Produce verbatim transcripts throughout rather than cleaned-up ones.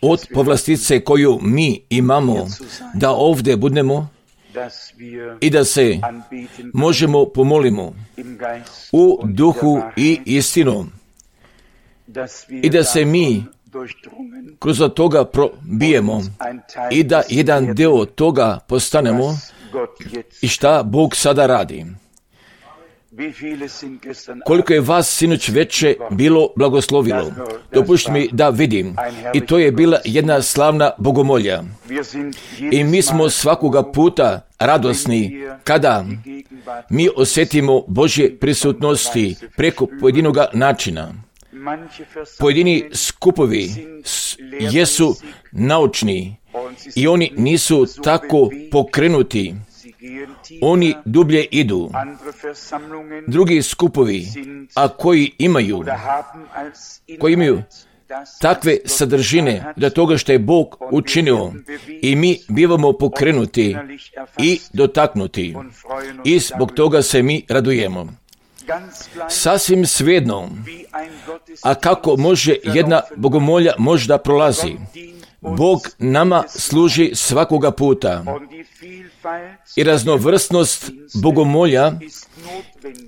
od povlastice koju mi imamo da ovdje budemo i da se možemo pomolimo u duhu i istinu i da se mi kroz toga probijemo i da jedan dio toga postanemo i šta Bog sada radi. Koliko je vas sinoć veče bilo blagoslovilo, dopušti mi da vidim, i to je bila jedna slavna bogomolja. I mi smo svakoga puta radosni kada mi osjetimo Božje prisutnosti preko pojedinoga načina. Pojedini skupovi jesu naučni i oni nisu tako pokrenuti. Oni dublje idu. Drugi skupovi, a koji imaju, koji imaju takve sadržine da toga što je Bog učinio i mi bivamo pokrenuti i dotaknuti i zbog toga se mi radujemo. Sasvim svejedno, a kako može jedna bogomolja možda prolazi, Bog nama služi svakoga puta i raznovrsnost bogomolja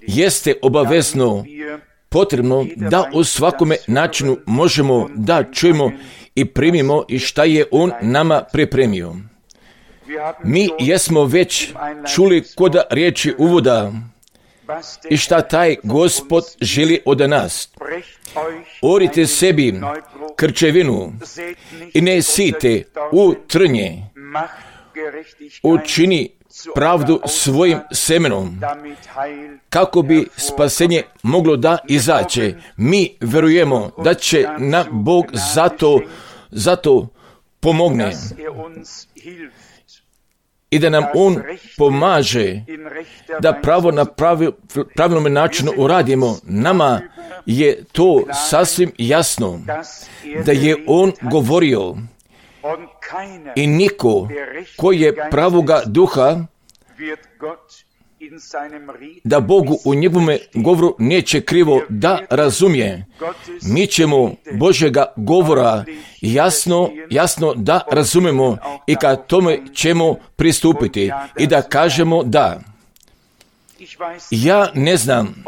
jeste obavezno potrebno da u svakome načinu možemo da čujemo i primimo i šta je On nama pripremio. Mi jesmo već čuli kod riječi uvoda i šta taj Gospod želi od nas. Orite sebi krčevinu i ne sijte u trnje. Učini pravdu svojim semenom, kako bi spasenje moglo da izaće. Mi verujemo da će nam Bog zato, zato pomogne i da nam On pomaže da pravo na pravi, pravilnom načinu uradimo. Nama je to sasvim jasno da je On govorio i niko koji je pravoga duha da Bogu u njegovome govoru neće krivo da razumije. Mi ćemo Božjega govora jasno, jasno da razumemo i ka tome ćemo pristupiti i da kažemo da. Ja ne znam,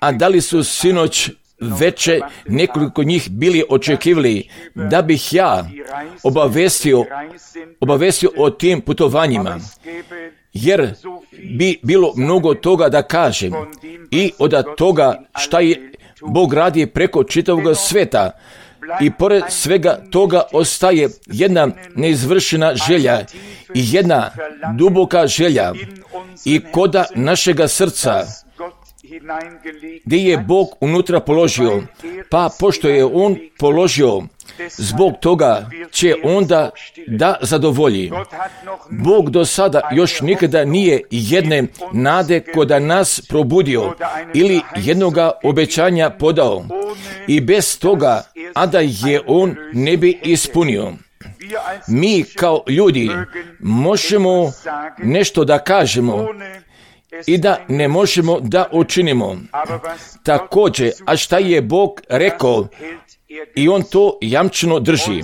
a da li su sinoć veče nekoliko njih bili očekivali da bih ja obavestio, obavestio o tim putovanjima, jer bi bilo mnogo toga da kažem i od toga šta je Bog radi preko čitavog sveta. I pored svega toga ostaje jedna neizvršena želja i jedna duboka želja i koda našega srca gdje je Bog unutra položio, pa pošto je On položio, zbog toga će onda da zadovolji. Bog do sada još nikada nije jedne nade koda nas probudio ili jednoga obećanja podao i bez toga, a da je On ne bi ispunio. Mi kao ljudi možemo nešto da kažemo i da ne možemo da učinimo. Također, a šta je Bog rekao, i On to jamčeno drži.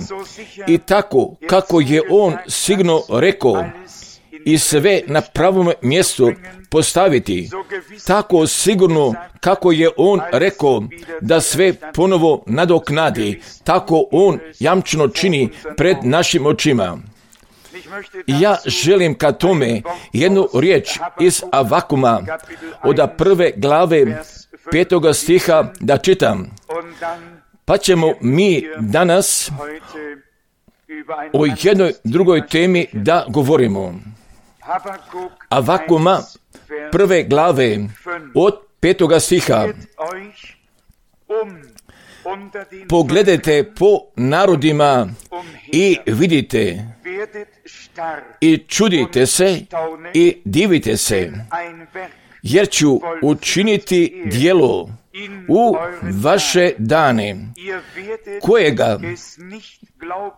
I tako kako je On sigurno rekao i sve na pravom mjestu postaviti, tako sigurno kako je On rekao da sve ponovo nadoknadi, tako On jamčeno čini pred našim očima. Ja želim ka tome jednu riječ iz Avakuma od prve glave petoga stiha da čitam. Pa ćemo mi danas o jednoj drugoj temi da govorimo. Avakuma prve glave od petoga stiha. Pogledajte po narodima i vidite i čudite se i divite se, jer ću učiniti djelo u vaše dane, kojega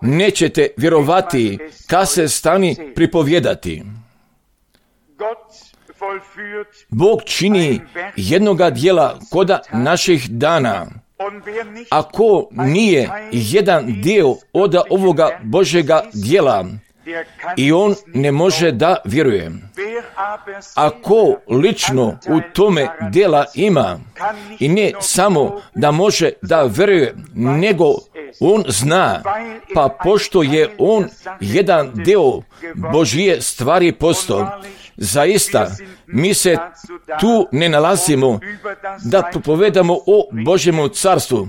nećete vjerovati kad se stani pripovjedati. Bog čini jednoga djela koda naših dana Ako nije jedan dio od ovoga Božjega djela, i on ne može da vjeruje. Ako lično u tome djela ima, i ne samo da može da vjeruje, nego on zna, pa pošto je on jedan dio Božje stvari postao, zaista mi se tu ne nalazimo da propovedamo o Božjemu carstvu,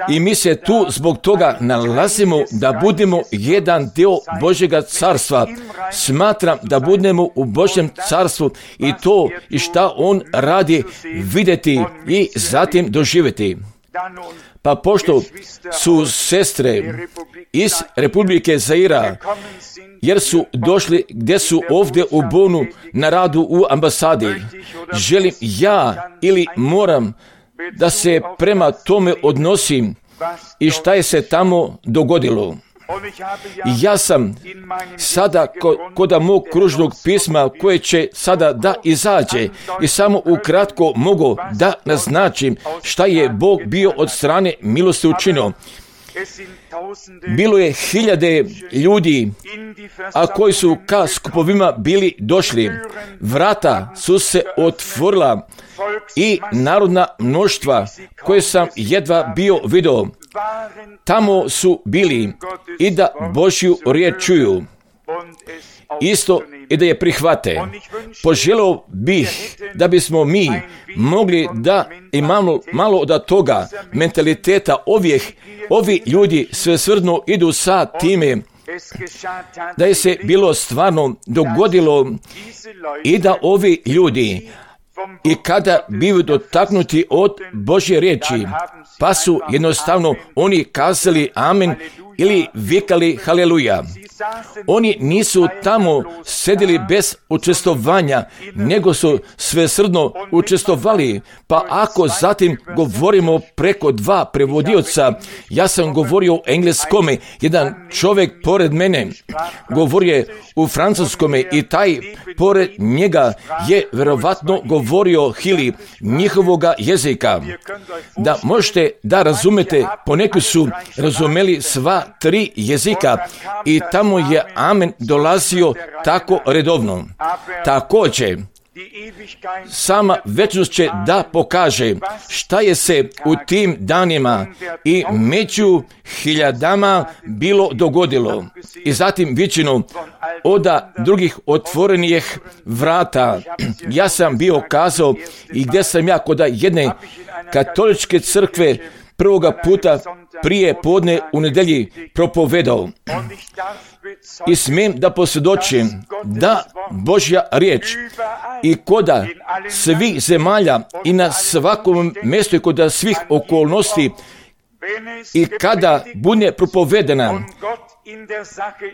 i mi se tu zbog toga nalazimo da budemo jedan dio Božjega carstva. Smatram da budemo u Božjem carstvu i to i šta on radi vidjeti i zatim doživjeti. Pa pošto su sestre iz Republike Zaira, jer su došli gdje su ovdje u Bonu na radu u ambasadi, želim ja ili moram da se prema tome odnosim i šta je se tamo dogodilo. Ja sam sada kod mog kružnog pisma koje će sada da izađe i samo ukratko mogu da naznačim šta je Bog bio od strane milosti učinio. Bilo je hiljade ljudi, a koji su ka skupovima bili došli. Vrata su se otvorila i narodna mnoštva koje sam jedva bio vidio, tamo su bili i da Božju riječ čuju, isto i da je prihvate. Poželio bih da bismo mi mogli da imamo malo od toga mentaliteta ovih, ovi ljudi svesrdno idu sa time, da je se bilo stvarno dogodilo i da ovi ljudi i kada bivaju dotaknuti od Božje riječi, pa su jednostavno oni kazali amen ili vikali haleluja. Oni nisu tamo sedili bez učestvovanja, nego su svesrdno učestvovali. Pa ako zatim govorimo preko dva prevodioca, ja sam govorio u engleskome, jedan čovjek pored mene govorio u francuskome i taj pored njega je vjerovatno govorio ili njihovoga jezika. Da možete da razumete, poneki su razumeli sva tri jezika i tamo je amen dolazio tako redovno. Također, sama večnost će da pokaže šta je se u tim danima i među hiljadama bilo dogodilo. I zatim vičino od drugih otvorenih vrata. Ja sam bio kazao i gdje sam ja kod jedne katoličke crkve prvoga puta prije podne u nedjelji propovedao. I smijem da posvjedočim da Božja riječ i koda svih zemalja i na svakom mjestu i koda svih okolnosti i kada bude propovedena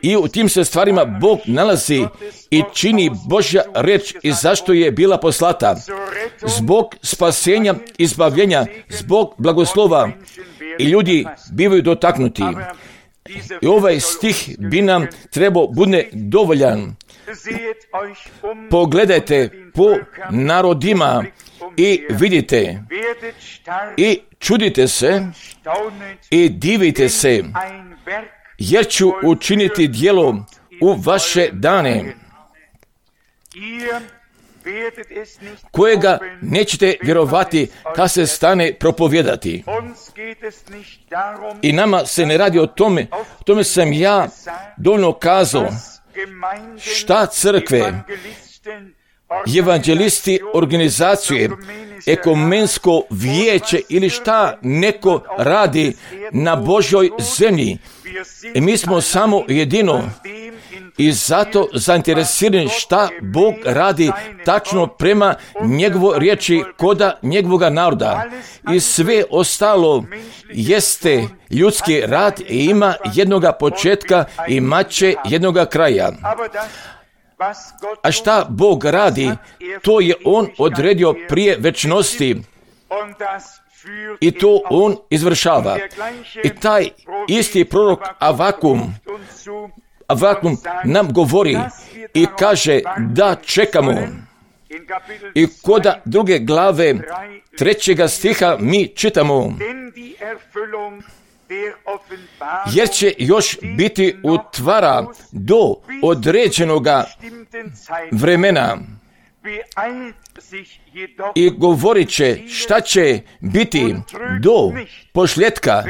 i u tim se stvarima Bog nalazi i čini Božja riječ i zašto je bila poslata. Zbog spasenja, izbavljenja, zbog blagoslova i ljudi bivaju dotaknuti. I ovaj stih bi nam trebao bude dovoljan. Pogledajte po narodima i vidite i čudite se i divite se, jer ću učiniti djelo u vaše dane, kojega nećete vjerovati kad se stane propovijedati. I nama se ne radi o tome, o tome sam ja dovoljno kazao, šta crkve, evanđelisti, organizacije, ekumensko vijeće ili šta neko radi na Božjoj zemlji. I mi smo samo jedino i zato zainteresirani šta Bog radi tačno prema njegovoj riječi koda njegovoga naroda. I sve ostalo jeste ljudski rad i ima jednoga početka i imat će jednoga kraja. A šta Bog radi, to je On odredio prije večnosti i to On izvršava. I taj isti prorok Avakum, Avakum nam govori i kaže da čekamo I kod druge glave trećega stiha mi čitamo: jer će još biti utvara do određenoga vremena i govorit će šta će biti do pošljetka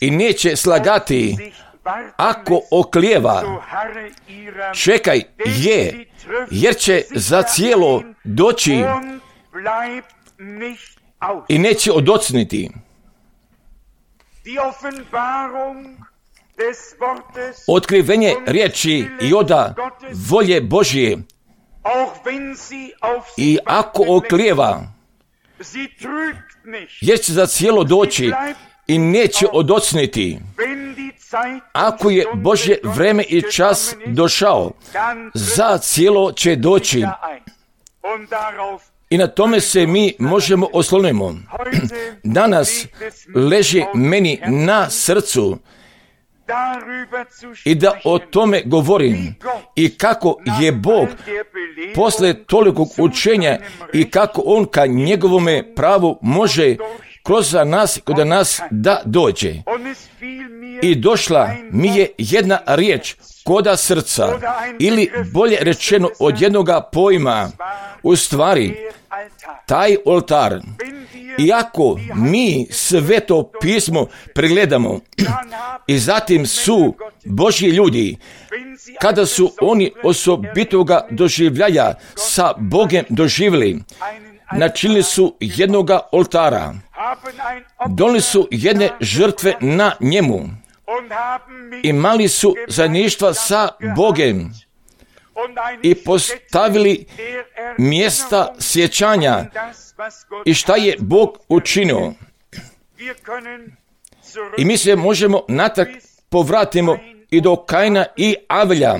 i neće slagati. Ako oklijeva, čekaj je, jer će za cijelo doći i neće odocniti. Otkrivenje riječi i oda volje Božje, i ako oklijeva, jer će za cijelo doći i neće odocniti. Ako je Božje vreme i čas došao, za cijelo će doći. I na tome se mi možemo oslonimo. Danas leži meni na srcu i da o tome govorim, i kako je Bog posle tolikog učenja i kako On ka njegovome pravu može kroz nas, kod nas da dođe. I došla mi je jedna riječ koda srca, ili bolje rečeno od jednoga pojma, u stvari taj oltar. Iako mi Sveto pismo pregledamo i zatim su Božji ljudi, kada su oni osobitoga doživljaja sa Bogem doživjeli, načinili su jednoga oltara, donijeli su jedne žrtve na njemu, imali su zajedništva sa Bogem i postavili mjesta sjećanja i šta je Bog učinio. I mi se možemo natrag povratimo i do Kaina i Avelja,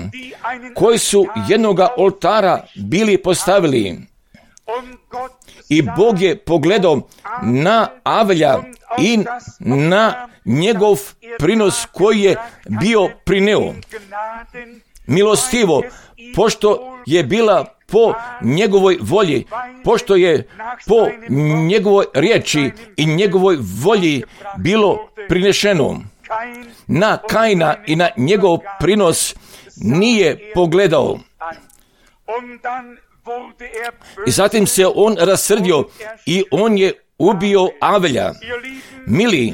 koji su jednoga oltara bili postavili. I Bog je pogledao na Avelja i na njegov prinos koji je bio prineo. Milostivo, pošto je bila po njegovoj volji, pošto je po njegovoj riječi i njegovoj volji bilo prinešeno. Na Kaina i na njegov prinos nije pogledao. I zatim se on rasrdio i on je ubio Avelja. Mili,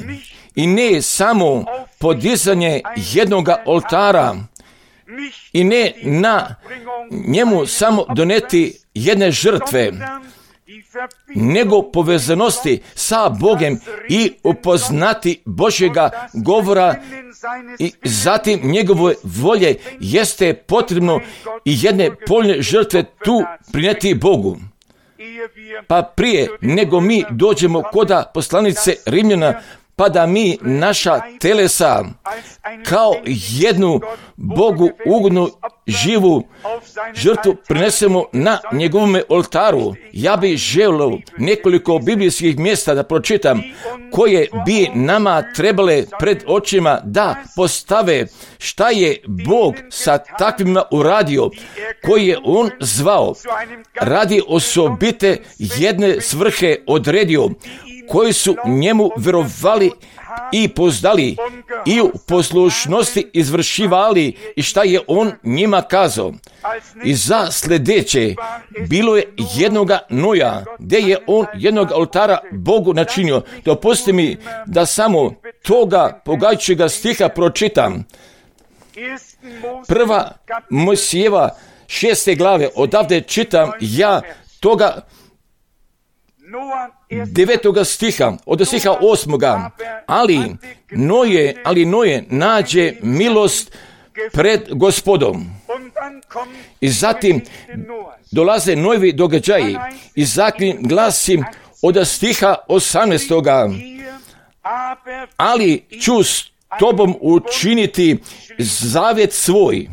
i ne samo podizanje jednoga oltara, i ne na njemu samo doneti jedne žrtve, nego povezanosti sa Bogem i upoznati Božjega govora i zatim njegove volje jeste potrebno i jedne poljne žrtve tu prineti Bogu. Pa prije nego mi dođemo koda poslanice Rimljana, pa da mi naša telesa kao jednu Bogu ugodnu živu žrtvu prinesemo na njegovome oltaru. Ja bih želio nekoliko biblijskih mjesta da pročitam, koje bi nama trebale pred očima da postave šta je Bog sa takvima uradio, koji je On zvao radi osobite jedne svrhe odredio, koji su njemu vjerovali i poznali i u poslušnosti izvršivali i šta je on njima kazao. I za sljedeće bilo je jednoga Noja, gdje je on jednog oltara Bogu načinio. Dopusti mi da samo toga pogađajućega stiha pročitam. Prva Mojsijeva šeste glave, odavde čitam ja toga devetoga stiha, od stiha osmoga, ali Noje, ali Noje nađe milost pred Gospodom. I zatim dolaze novi događaji i zatim glasim od stiha osamnaestoga, ali ću s tobom učiniti zavjet svoj.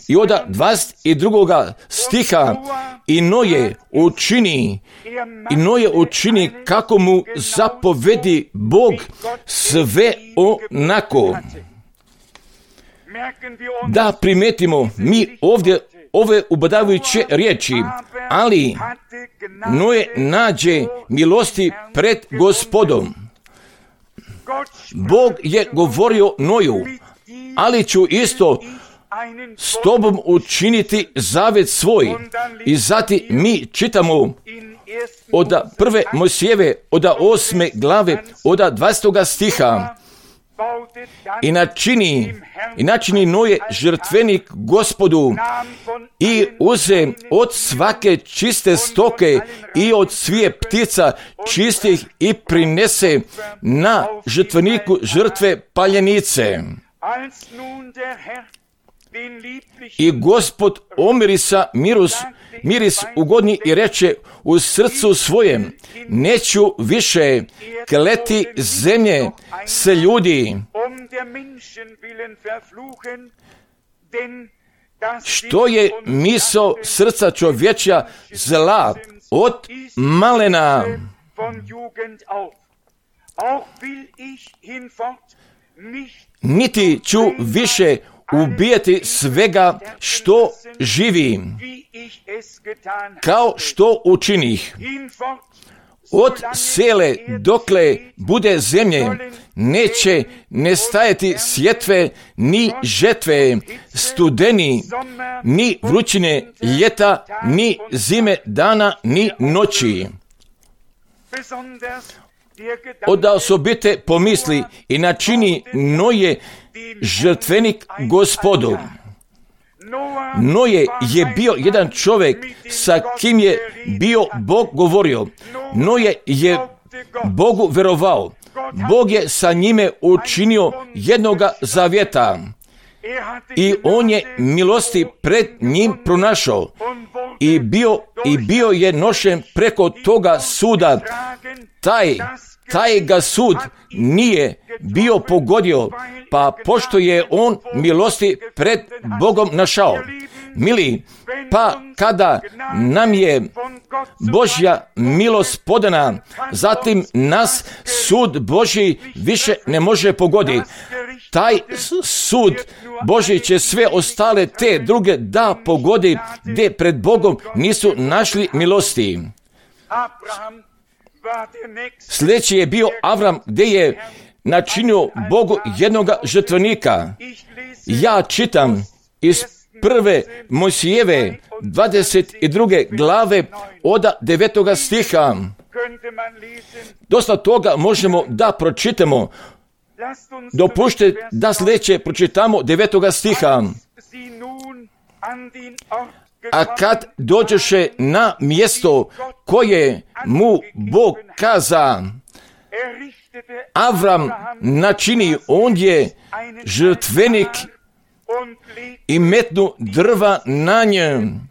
I od dvadeset drugoga stiha i Noje učini, i Noje učini kako mu zapovedi Bog sve onako. Da primetimo, mi ovdje ove ubadavajuće riječi, ali Noe nađe milosti pred Gospodom. Bog je govorio Noju, ali ću isto s tobom učiniti zavet svoj. I zatim mi čitamo od prve Mojsijeve, od osme glave, od dvadestog stiha. I načini, i načini Noje žrtvenik Gospodu i uze od svake čiste stoke i od svije ptica čistih i prinese na žrtveniku žrtve paljenice. I Gospod omirisa miris, miris ugodni i reče u srcu svojem, neću više kleti zemlje s ljudi. Što je misao srca čovječja zla od malena. Niti ću više ubijati svega što živi, kao što učinih. Od sele dokle bude zemlje, neće nestajati sjetve, ni žetve, studeni, ni vrućine ljeta, ni zime dana, ni noći. Od osobite pomisli i načini Noje žrtvenik Gospodu. Noje je bio jedan čovjek sa kim je bio Bog govorio. Noje je Bogu verovao. Bog je sa njime učinio jednoga zavjeta. I on je milosti pred njim pronašao. I bio, i bio je nošen preko toga suda. Taj, taj ga sud nije bio pogodio, pa pošto je on milosti pred Bogom našao. Mili, pa kada nam je Božja milost podana, zatim nas sud Božji više ne može pogoditi. Taj sud Božji će sve ostale te druge da pogodi, gdje pred Bogom nisu našli milosti. Sljedeći je bio Avram, gdje je načinio Bogu jednoga žrtvenika. Ja čitam iz prve Mojsijeve dvadeset druge glave od devetoga stiha. Dosta toga možemo da pročitamo. Dopušte da sljedeće pročitamo devetoga stiha. A kad dođeše na mjesto koje mu Bog kaza, Avram načini ondje žrtvenik i metnu drva na njem.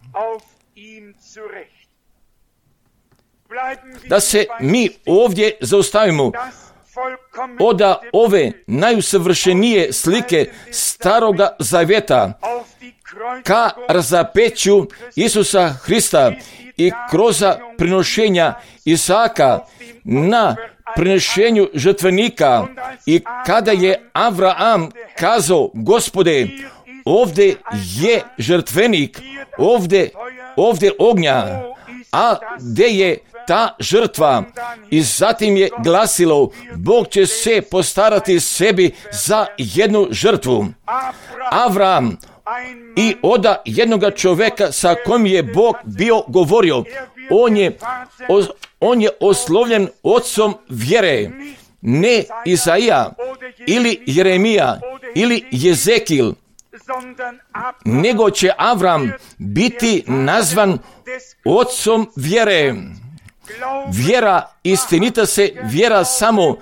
Da se mi ovdje zaustavimo od ove najusavršenije slike Staroga Zavjeta ka razapeću Isusa Hrista i kroz prinošenja Isaka na prinešenju žrtvenika. I kada je Avraam kazao, Gospode, ovdje je žrtvenik, ovdje, ovdje ognja, a gdje je ta žrtva? I zatim je glasilo, Bog će se postarati sebi za jednu žrtvu. Avram i oda jednoga čovjeka sa kojim je Bog bio govorio, on je, on je oslovljen ocom vjere, ne Isaija ili Jeremija ili Jezekil, nego će Avram biti nazvan ocom vjere. Vjera istinita se vjera samo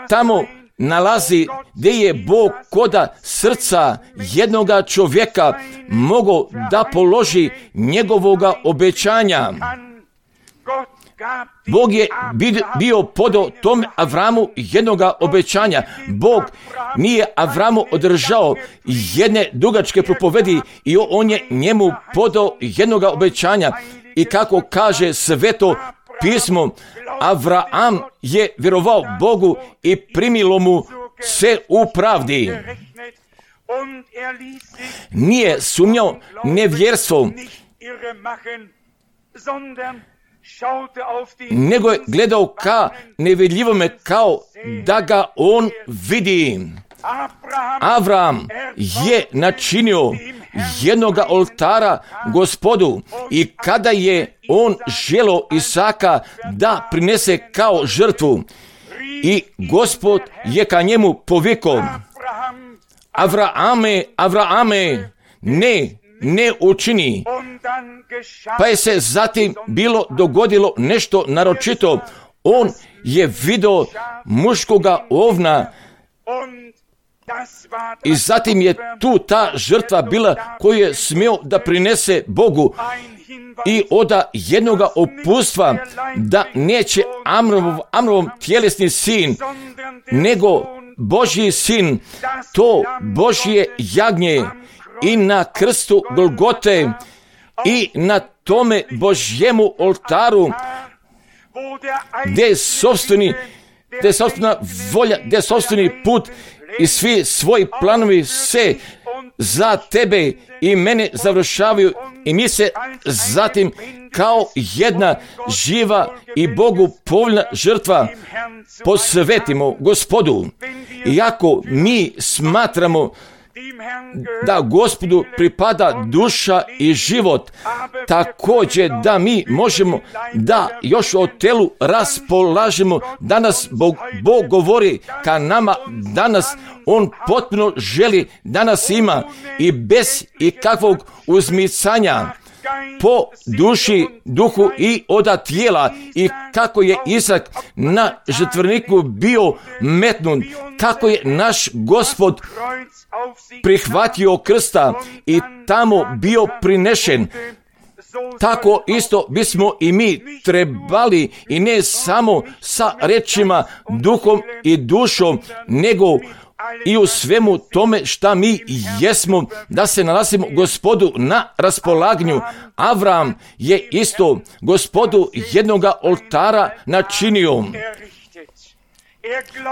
tamo nalazi gdje je Bog koda srca jednoga čovjeka mogao da položi njegovoga obećanja. Bog je bio podao tom Avramu jednoga obećanja. Bog nije Avramu održao jedne dugačke propovedi i on je njemu podao jednoga obećanja. I kako kaže Sveto pismo, Avraam je vjerovao Bogu i primilo mu se u pravdi. Nije sumnjao nevjerstvo, nego je gledao ka nevidljivome, kao da ga on vidi. Avram je načinio jednoga oltara Gospodu, i kada je on želio Isaka da prinese kao žrtvu, i Gospod je ka njemu povikao: Avrame, Avrame, ne, ne učini. Pa je se zatim bilo dogodilo nešto naročito. On je vidio muškoga ovna, i zatim je tu ta žrtva bila koju je smio da prinese Bogu, i oda jednoga opustva da neće Amrov, Amrov tjelesni sin, nego Božji sin, to Božje jagnje, i na krstu Golgote i na tome Božjemu oltaru, gdje je sopstveni, gdje je sopstvena volja, gdje je sopstveni put i svi svoji planovi se za tebe i mene završavaju, i mi se zatim kao jedna živa i Bogu povoljna žrtva posvetimo Gospodu. Iako mi smatramo da Gospodu pripada duša i život, također da mi možemo da još o telu raspolažemo. Danas Bog, Bog govori ka nama, danas On potpuno želi da nas ima, i bez ikakvog uzmicanja po duši, duhu i oda tijela, i kako je Isak na žrtverniku bio metnut, kako je naš Gospod prihvatio krsta i tamo bio prinešen, tako isto bismo i mi trebali, i ne samo sa rečima, duhom i dušom, nego i u svemu tome šta mi jesmo, da se nalazimo Gospodu na raspolaganju. Avram je isto Gospodu jednoga oltara načinio.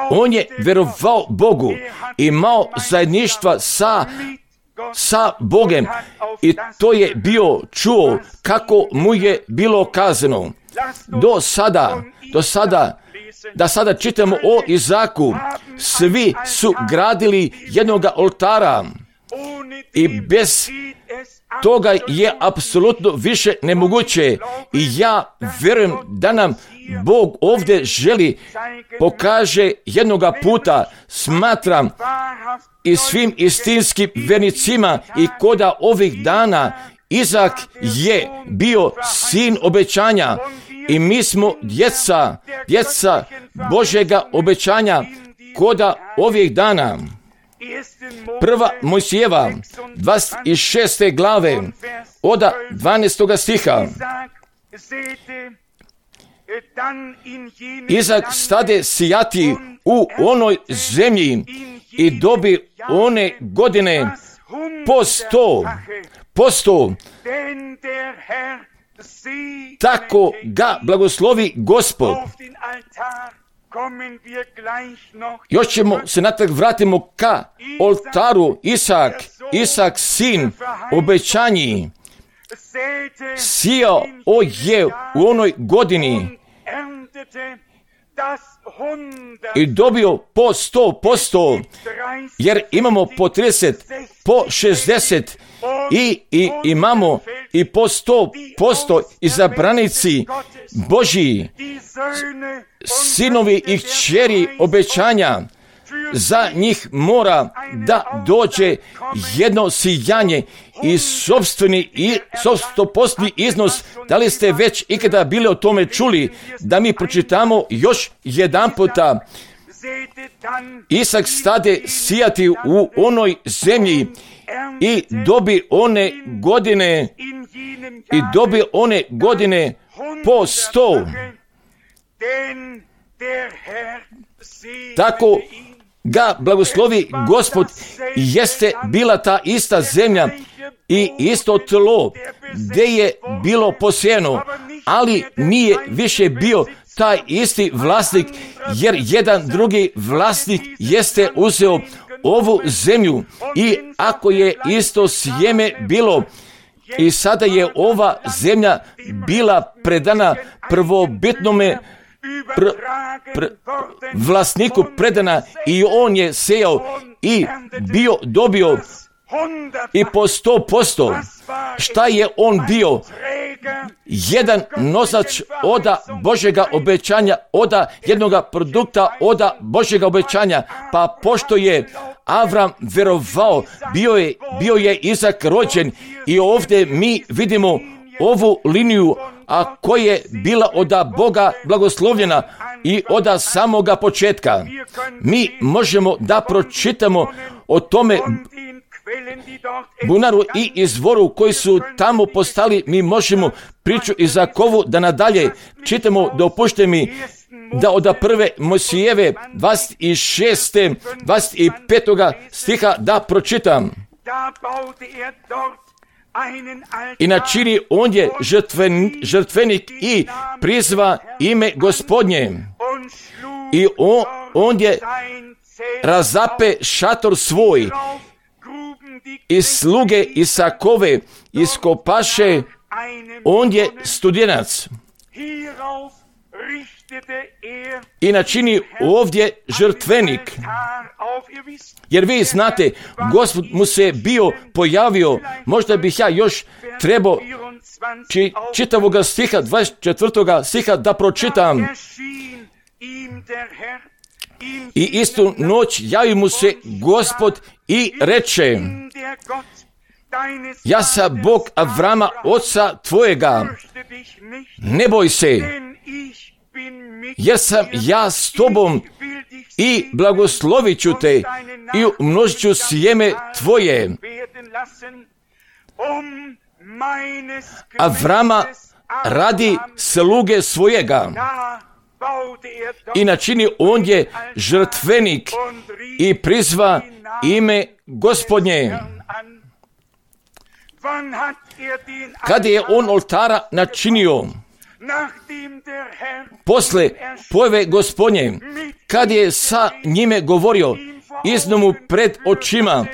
On je vjerovao Bogu, imao zajedništva sa, sa Bogem, i to je bio čuo kako mu je bilo kazano. Do sada, do sada, da sada čitamo o Izaku, svi su gradili jednoga oltara, i bez toga je apsolutno više nemoguće. I ja vjerujem da nam Bog ovdje želi pokaže jednoga puta. Smatram i svim istinskim vernicima i koda ovih dana, Izak je bio sin obećanja, i mi smo djeca, djeca Božjega obećanja koda ovih dana. Prva Mojsijeva, dvadeset šeste glave, oda dvanaestoga stiha. Izak stade sijati u onoj zemlji i dobi one godine po sto, po sto. Tako ga blagoslovi Gospod. Još ćemo se natrag vratimo ka oltaru. Isak, Isak sin obećanji, sijao je u onoj godini i dobio po sto posto, jer imamo po trideset, po šezdeset i, i imamo i po sto posto izabranici Božji, sinovi i kćeri obećanja. Za njih mora da dođe jedno sijanje i sopstveni i stopostni iznos. Da li ste već ikada bili o tome čuli? Da mi pročitamo još jedan puta. Isak stade sijati u onoj zemlji i dobi one godine i dobi one godine po sto. Tako ga blagoslovi Gospod. Jeste bila ta ista zemlja i isto tlo gdje je bilo posijeno, ali nije više bio taj isti vlasnik, jer jedan drugi vlasnik jeste uzeo ovu zemlju i ako je isto sjeme bilo i sada je ova zemlja bila predana prvobitnome pr, pr, vlasniku predana i on je sejao i bio dobio i po sto posto. Šta je on bio? Jedan nosač oda Božjega obećanja, oda jednoga produkta oda Božjega obećanja. Pa pošto je Avram vjerovao, bio je, bio je Izak rođen i ovdje mi vidimo ovu liniju, a koja je bila oda Boga blagoslovljena i oda samoga početka. Mi možemo da pročitamo o tome bunaru i izvoru koji su tamo postali. Mi možemo priču Izakovu da nadalje čitamo. Dopušte mi da od prve Mojsijeve dvadeset šeste dvadeset pet stiha da pročitam. I načini ondje žrtven, žrtvenik i prizva ime Gospodnje. I on, ondje razape šator svoj i sluge Isakove iskopaše ondje studenac. I načini ovdje žrtvenik. Jer vi znate, Gospod mu se bio pojavio, možda bih ja još trebao či, čitavoga stiha, dvadeset četvrtoga stiha da pročitam. I istu noć javi mu se Gospod i reče: ja sam Bog Avrama, oca tvojega, ne boj se, jer sam ja s tobom i blagoslovit ću te i umnožit ću sjeme tvoje. Avrama radi sluge svojega. I načini ondje žrtvenik i prizva ime Gospodnje. Kada je on oltara načinio? Posle pojave Gospodnje, kad je sa njime govorio, iznio mu pred očima,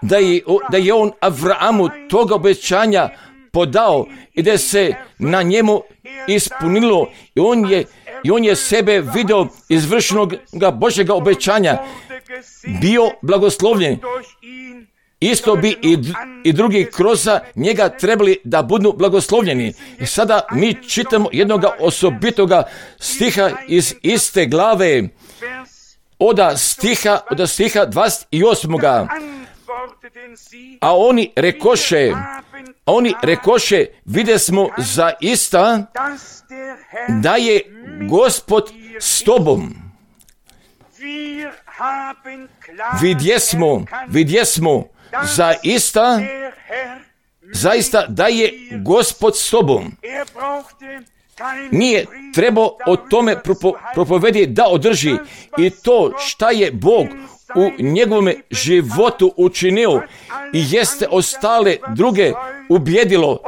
da je, da je on Avramu toga obećanja podao i da se na njemu ispunilo i on je, i on je sebe vidio izvršenog Božjega obećanja, bio blagoslovljen. Isto bi i, i drugi kroz njega trebali da budu blagoslovljeni. I sada mi čitamo jednog osobitoga stiha iz iste glave, oda stiha, oda stiha dvadeset osam. A oni rekoše, a oni rekoše, vide smo zaista da je Gospod s tobom. Vidjesmo, vidjesmo, zaista, zaista da je Gospod s tobom. Nije trebao o tome propo, propovedi da održi i to šta je Bog u njegovome životu učinio i jeste ostale druge ubjedilo,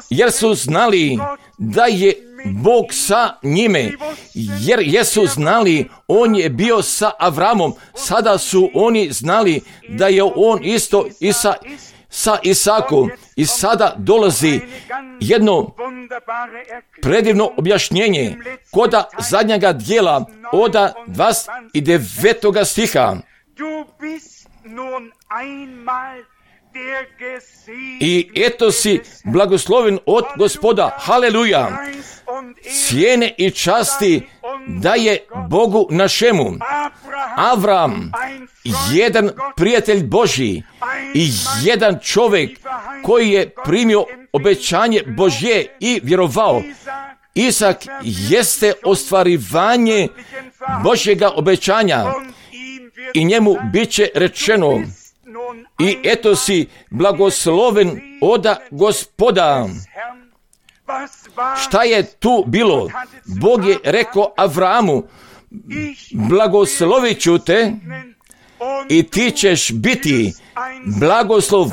jer su znali da je Bog sa njime, jer jesu znali, on je bio sa Avramom, sada su oni znali da je on isto i sa, sa Isakom. I sada dolazi jedno predivno objašnjenje koda zadnjega dijela oda dvadeset devetog stiha. I eto si blagosloven od Gospoda, haleluja, cijene i časti da je Bogu našemu. Avram, jedan prijatelj Božji i jedan čovjek koji je primio obećanje Božje i vjerovao. Isak jeste ostvarivanje Božjega obećanja i njemu bit će rečeno: i eto si blagosloven oda Gospoda. Šta je tu bilo? Bog je rekao Avramu: blagoslovit ću te i ti ćeš biti blagoslov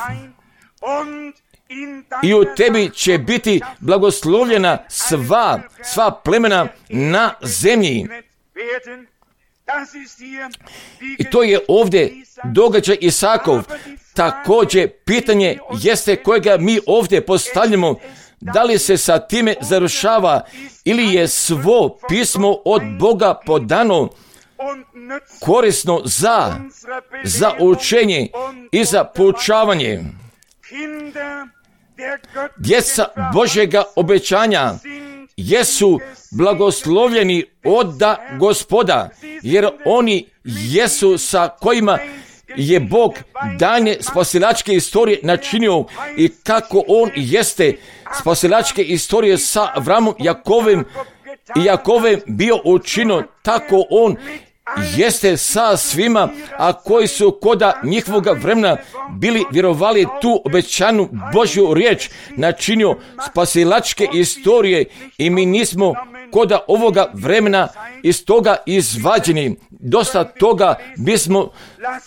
i u tebi će biti blagoslovljena sva, sva plemena na zemlji. I to je ovdje događaj Isakov. Također, pitanje jeste kojega mi ovdje postavljamo, da li se sa time završava ili je svo pismo od Boga podano korisno za, za učenje i za poučavanje. Djeca Božjega obećanja jesu blagoslovljeni od Gospoda, jer oni jesu sa kojima je Bog danje spasilačke istorije načinio i kako on jeste spasilačke istorije sa Avramom, Jakovem i Jakovem bio učinio, tako on jeste sa svima, a koji su koda njihovoga vremena bili vjerovali tu obećanu Božju riječ, načinio spasilačke istorije i mi nismo koda ovoga vremena iz toga izvađeni. Dosta toga bismo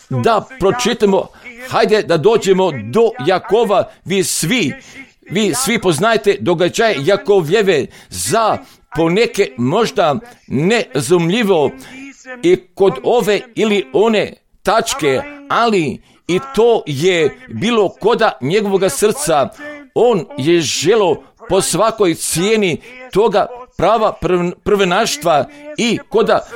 da pročitamo. Hajde da dođemo do Jakova. Vi svi, vi svi poznajete događaje Jakovljeve, za poneke možda nerazumljivo i kod ove ili one tačke, ali i to je bilo koda njegovoga srca. On je želo po svakoj cijeni toga prava prvenaštva i koda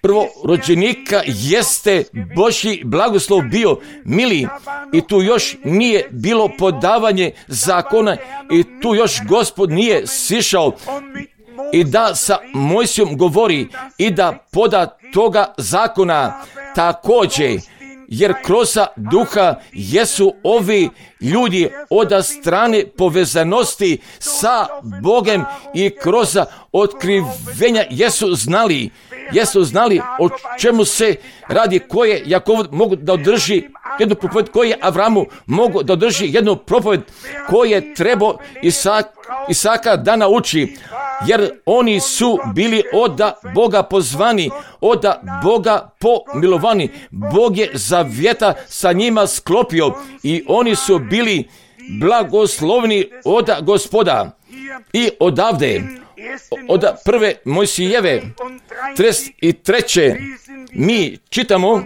prvorođenika jeste Božji blagoslov bio mili i tu još nije bilo podavanje zakona i tu još Gospod nije sišao i da sa Mojsijom govori i da poda toga zakona također, jer kroz duha jesu ovi ljudi od strane povezanosti sa Bogem i kroz otkrivenja jesu znali, jesu znali o čemu se radi, koje Jakov mogu da održi jednu propoved, koje Avramu mogu da održi jednu propoved, koje treba Isak, Isaka da nauči, jer oni su bili od Boga pozvani, od Boga pomilovani. Bog je zavjeta sa njima sklopio i oni su bili blagoslovni od Gospoda. I odavde, od prve Mojsijeve trideset treće mi čitamo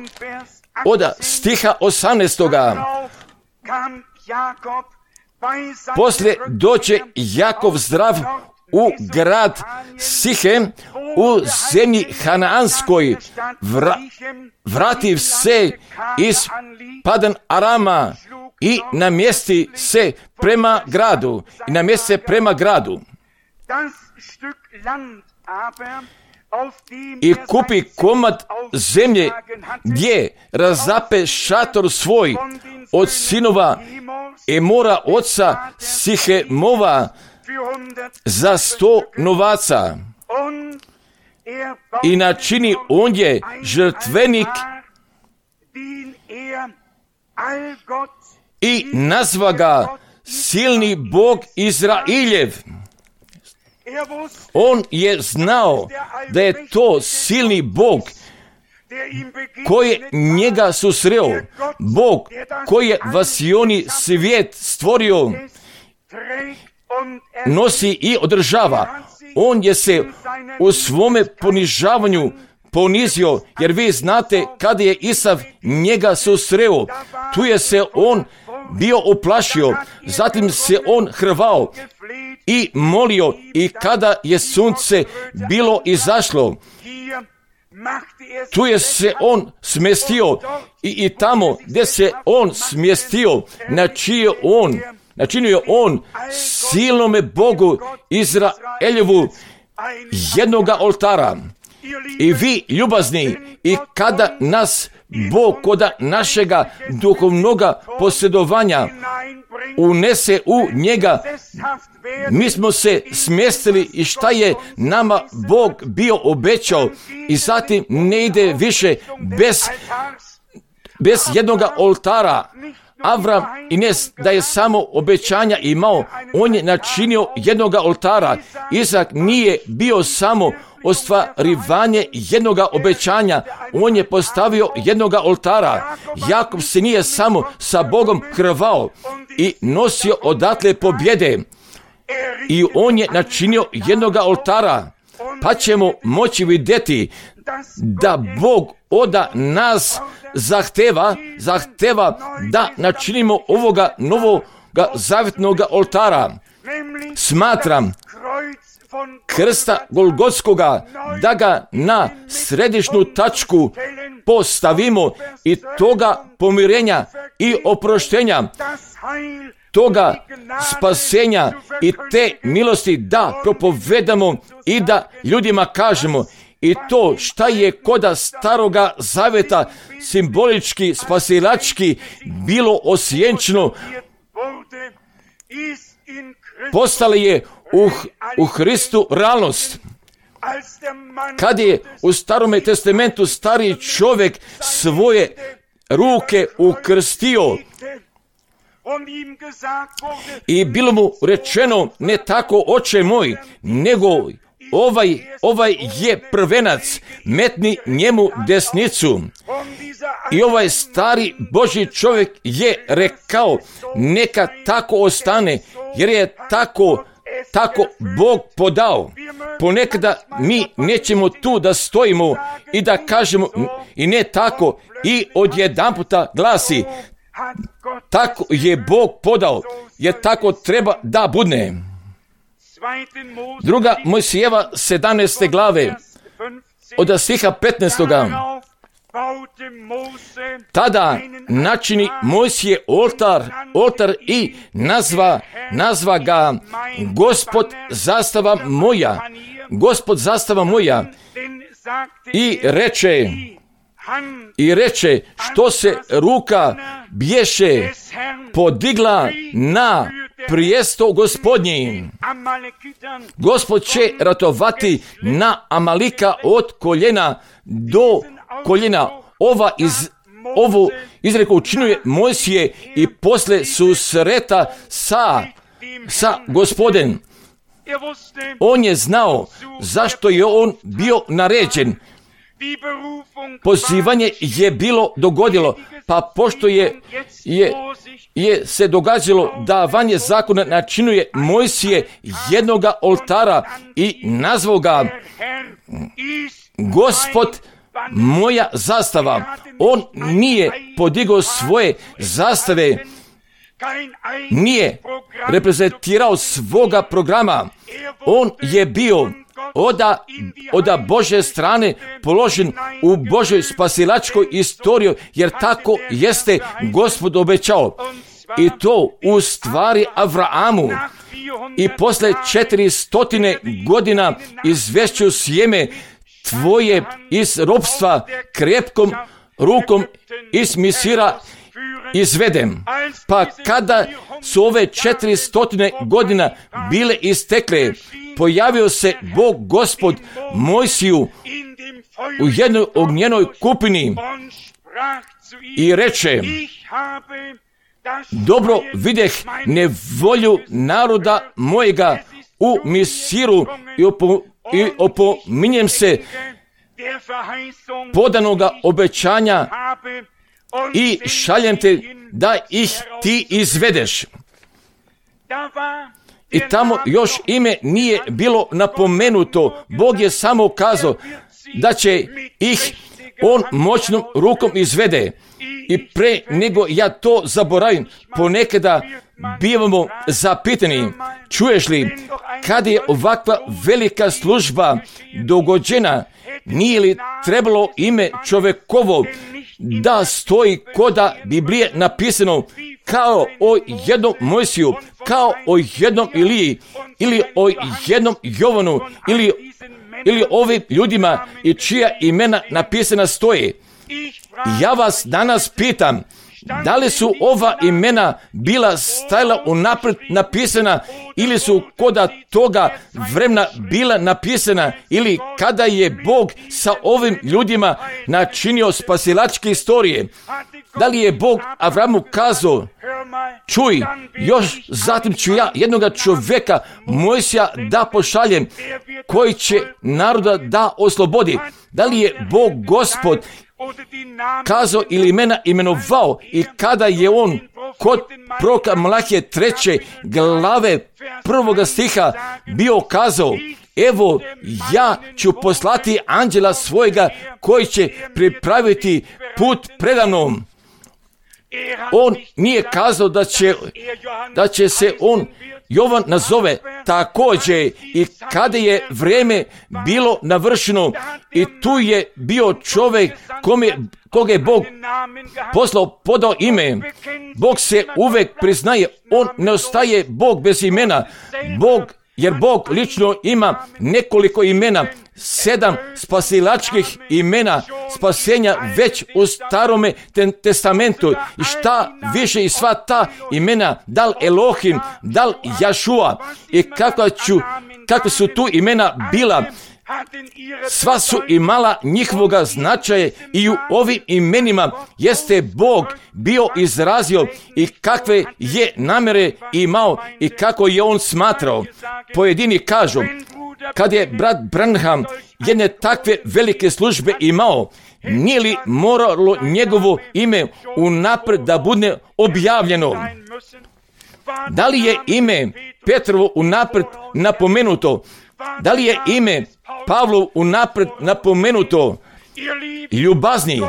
od stiha osamnaestoga. Poslije doće Jakov zdrav u grad Sihem u zemlji Hanaanskoj, Vra, vrativ se iz Padan Arama i namjesti se prema gradu i namjesti se prema gradu i kupi komad zemlje gdje razape šator svoj od sinova Emora oca Sihemova za sto novaca i načini ondje žrtvenik i nazva ga silni Bog Izrailjev. On je znao da je to silni Bog koji je njega susreo, Bog koji je vasioni svijet stvorio, nosi i održava. On je se u svome ponižavanju ponizio, jer vi znate kada je Isav njega susreo, tu je se on bio uplašio, zatim se on hrvao i molio i kada je sunce bilo izašlo, tu je se on smjestio i, i tamo gdje se on smjestio, načinio on, načinio on silnome Bogu Izraeljevu jednoga oltara. I vi ljubazni, i kada nas Bog koda našega duhovnoga posjedovanja unese u njega, mi smo se smjestili i šta je nama Bog bio obećao i zatim ne ide više bez, bez jednoga oltara. Avram i ne da je samo obećanja imao, on je načinio jednoga oltara. Izak nije bio samo ostvarivanje jednoga obećanja, on je postavio jednoga oltara. Jakov se nije samo sa Bogom hrvao i nosio odatle pobjede, i on je načinio jednoga oltara, pa ćemo moći vidjeti da Bog oda nas zahteva, zahteva da načinimo ovoga novoga zavjetnoga oltara. Smatram krsta Golgotskoga, da ga na središnju tačku postavimo i toga pomirenja i oproštenja, toga spasenja i te milosti da propovedamo i da ljudima kažemo. I to šta je koda staroga zaveta simbolički, spasilački bilo osjenčeno, postala je u, u Hristu realnost. Kad je u Starome testamentu stari čovjek svoje ruke ukrstio i bilo mu rečeno, ne tako oče moj, nego ovaj, ovaj je prvenac, metni njemu desnicu. I ovaj stari Božji čovjek je rekao, neka tako ostane, jer je tako, tako Bog podao. Ponekada mi nećemo tu da stojimo i da kažemo, i ne tako, i odjedanputa glasi, tako je Bog podao, jer tako treba da bude. Druga Mojsijeva sedamnaeste glave, od stiha petnaestoga. Tada načini Mojsije oltar, oltar i nazva, nazva ga Gospod zastava moja, Gospod zastava moja, i reče, i reče, što se ruka bješe podigla na prijesto Gospodnji. Gospod će ratovati na Amalika od koljena do koljena. Ova iz, ovu izreku učinuje Mojsije i posle susreta sa, sa Gospodem. On je znao zašto je on bio naređen. Pozivanje je bilo dogodilo, pa pošto je, je, je se događalo da vanje zakona načinuje Mojsije jednoga oltara i nazvao ga Gospod moja zastava. On nije podigao svoje zastave, nije reprezentirao svoga programa. On je bio oda, oda Božje strane položen u Božoj spasilačkoj istoriji, jer tako jeste Gospod obećao. I to u stvari Avraamu. I posle četiristotine godina izvešću sjeme tvoje iz ropstva krepkom rukom iz Misira izvedem. Pa kada su ove četiristotine godina bile istekle, pojavio se Bog Gospod Mojsiju u jednoj ognjenoj kupini i reče, dobro videh nevolju naroda mojega u Misiru i, opo, i opominjem se podanoga obećanja i šaljem te da ih ti izvedeš. I tamo još ime nije bilo napomenuto. Bog je samo kazao da će ih on moćnom rukom izvede. I pre nego ja to zaboravim, ponekada bivamo zapitani, čuješ li, kad je ovakva velika služba dogođena, nije li trebalo ime čovekovo da stoji koda Biblije napisano kao o jednom Mojsiju, kao o jednom Iliji, ili o jednom Jovanu, ili, ili ovim ljudima i čija imena napisana stoje. Ja vas danas pitam, da li su ova imena bila stajala unaprijed napisana ili su koda toga vremena bila napisana, ili kada je Bog sa ovim ljudima načinio spasilačke istorije? Da li je Bog Avramu kazao, čuj, još zatim ću ja jednoga čovjeka Mojsija da pošaljem koji će naroda da oslobodi? Da li je Bog Gospod kazao ili imena imenovao i kada je on kod proroka Malahije treće glave prvoga stiha bio kazao, evo ja ću poslati anđela svojega koji će pripraviti put predamnom. On nije kazao da će, da će se on Jovan nazove također, i kada je vrijeme bilo navršeno i tu je bio čovjek kome, koga je Bog poslao, podao ime. Bog se uvek priznaje, on ne ostaje Bog bez imena. Bog, jer Bog lično ima nekoliko imena, sedam spasilačkih imena spasenja već u Starome testamentu. I šta više i sva ta imena, dal Elohim, dal Jašua, i kakva, ću, kakva su tu imena bila, sva su imala njihovoga značaja i u ovim imenima jeste Bog bio izrazio i kakve je namere imao i kako je on smatrao. Pojedini kažu, kad je brat Branham jedne takve velike službe imao, nije li moralo njegovo ime unaprijed da bude objavljeno? Da li je ime Petrovo unaprijed napomenuto? Da li je ime Pavlov unaprijed napomenuto? Ljubazni,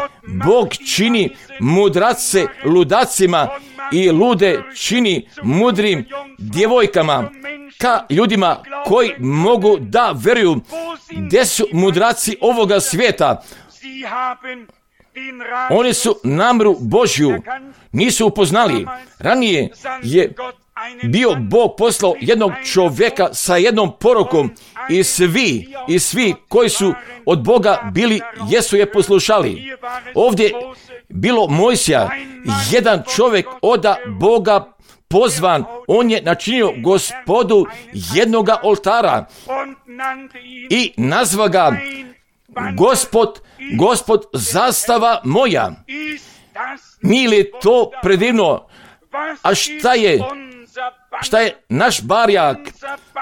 Bog čini mudrace ludacima i lude čini mudrim djevojkama, ka ljudima koji mogu da veruju. Gdje su mudraci ovoga svijeta? Oni su namjeru Božju nisu upoznali. Ranije je bio Bog poslao jednog čovjeka sa jednom porukom i svi, i svi koji su od Boga bili, jesu je poslušali. Ovdje bilo Mojsija, jedan čovjek od Boga pozvan, on je načinio Gospodu jednoga oltara i nazva ga Gospod, Gospod zastava moja. Nije li to predivno? A šta je, šta je naš barjak?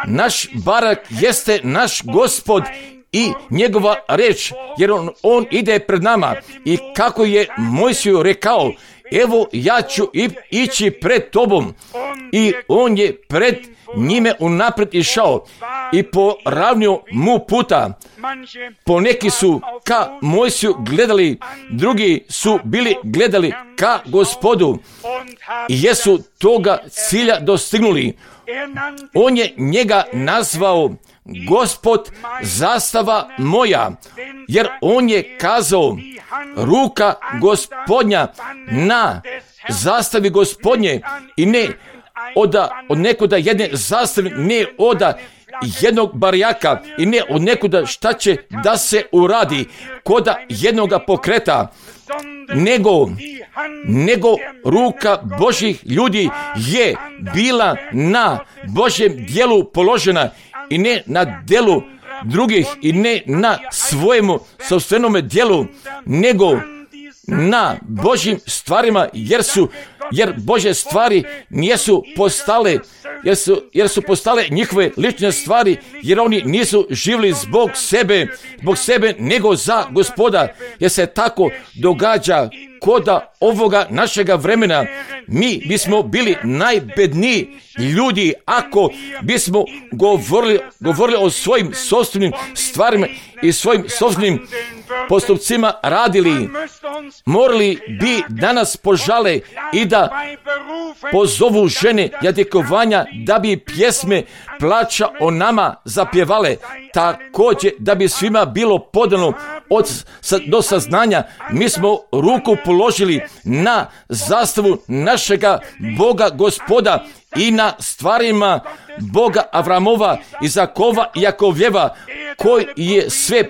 Naš barak jeste naš Gospod i njegova reč, jer on, on ide pred nama. I kako je Mojsiju rekao, evo ja ću ići pred tobom. I on je pred njime unaprijed išao i poravnio mu puta. Poneki su ka Mojsiju gledali, drugi su bili gledali ka Gospodu i jesu toga cilja dostignuli. On je njega nazvao Gospod zastava moja, jer on je kazao, ruka Gospodnja na zastavi Gospodnje, i ne oda, od nekoda jedne zastave, ne oda jednog barjaka i ne od nekoda šta će da se uradi koda jednoga pokreta, nego, nego ruka Božih ljudi je bila na Božjem djelu položena i ne na djelu drugih i ne na svojemu sopstvenome djelu, nego na Božjim stvarima, jer su, jer Božje stvari nisu postale, jer su, jer su postale njihove lične stvari, jer oni nisu živjeli zbog sebe, zbog sebe, nego za Gospoda, jer se tako događa koda ovoga našega vremena. Mi bismo bili najbedniji ljudi ako bismo govorili, govorili o svojim sopstvenim stvarima i svojim sopstvenim postupcima radili. Morali bi danas požale i da pozovu žene jadikovanja da bi pjesme plaća o nama zapjevale, također da bi svima bilo podano od, do saznanja. Mi smo ruku položili na zastavu našega Boga Gospoda i na stvarima Boga Avramova, Izakova i Jakovljeva, koji je sve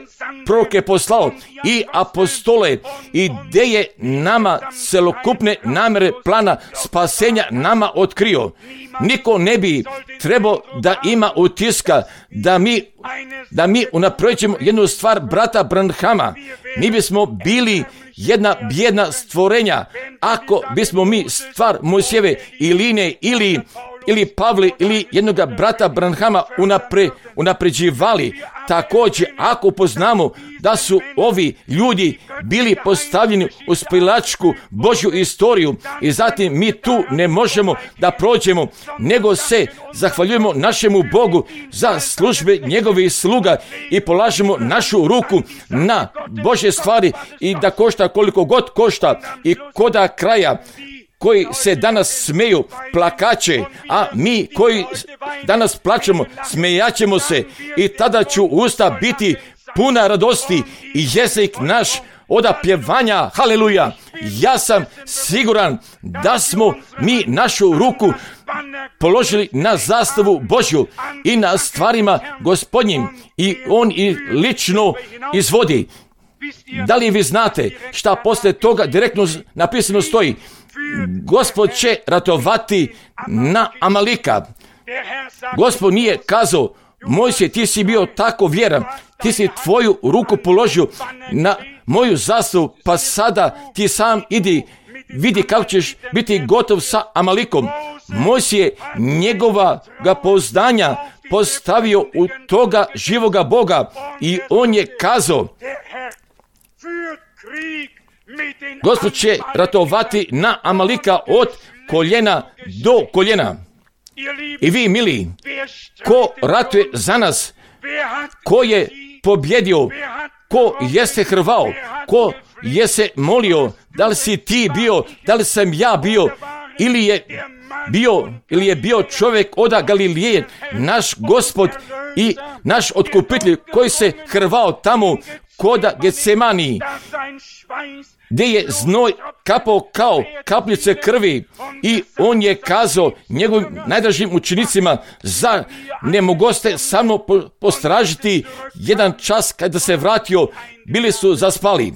proroke poslao i apostole, i gdje je nama celokupne namere plana spasenja nama otkrio. Niko ne bi trebao da ima utiska da mi, da mi unapređujemo jednu stvar brata Branhama. Mi bismo bili jedna bijedna stvorenja ako bismo mi stvar Mojsijeve i Line ili ili Pavle ili jednoga brata Branhama unapre, unapređivali. Također, ako poznamo da su ovi ljudi bili postavljeni u spilačku Božju istoriju i zatim mi tu ne možemo da prođemo, nego se zahvaljujemo našemu Bogu za službe njegovih sluga i polažemo našu ruku na Božje stvari i da košta koliko god košta i koda kraja, koji se danas smeju plakaće, a mi koji danas plačemo smejaćemo se i tada ću usta biti puna radosti i jezik naš od pjevanja. Haleluja! Ja sam siguran da smo mi našu ruku položili na zastavu Božju i na stvarima Gospodnjim i On i lično izvodi. Da li vi znate šta poslije toga direktno napisano stoji? Gospod će ratovati na Amalika. Gospod nije kazao, Mojsije, ti si bio tako vjeran, ti si tvoju ruku položio na moju zastavu, pa sada ti sam idi, vidi kako ćeš biti gotov sa Amalikom. Mojsije njegova ga pouzdanja postavio u toga živoga Boga i on je kazao, Gospod će ratovati na Amalika od koljena do koljena. I vi, mili, ko ratuje za nas, ko je pobjedio, ko je se hrvao, ko je se molio, da li si ti bio, da li sam ja bio, ili je bio, ili je bio čovjek od Galileje, naš Gospod i naš otkupitelj koji se hrvao tamo koda Getsemani, gdje je znoj kapao kao kapljice krvi i on je kazao njegovim najdražim učenicima, za ne mogoste samo postražiti jedan čas kada se vratio, bili su zaspali.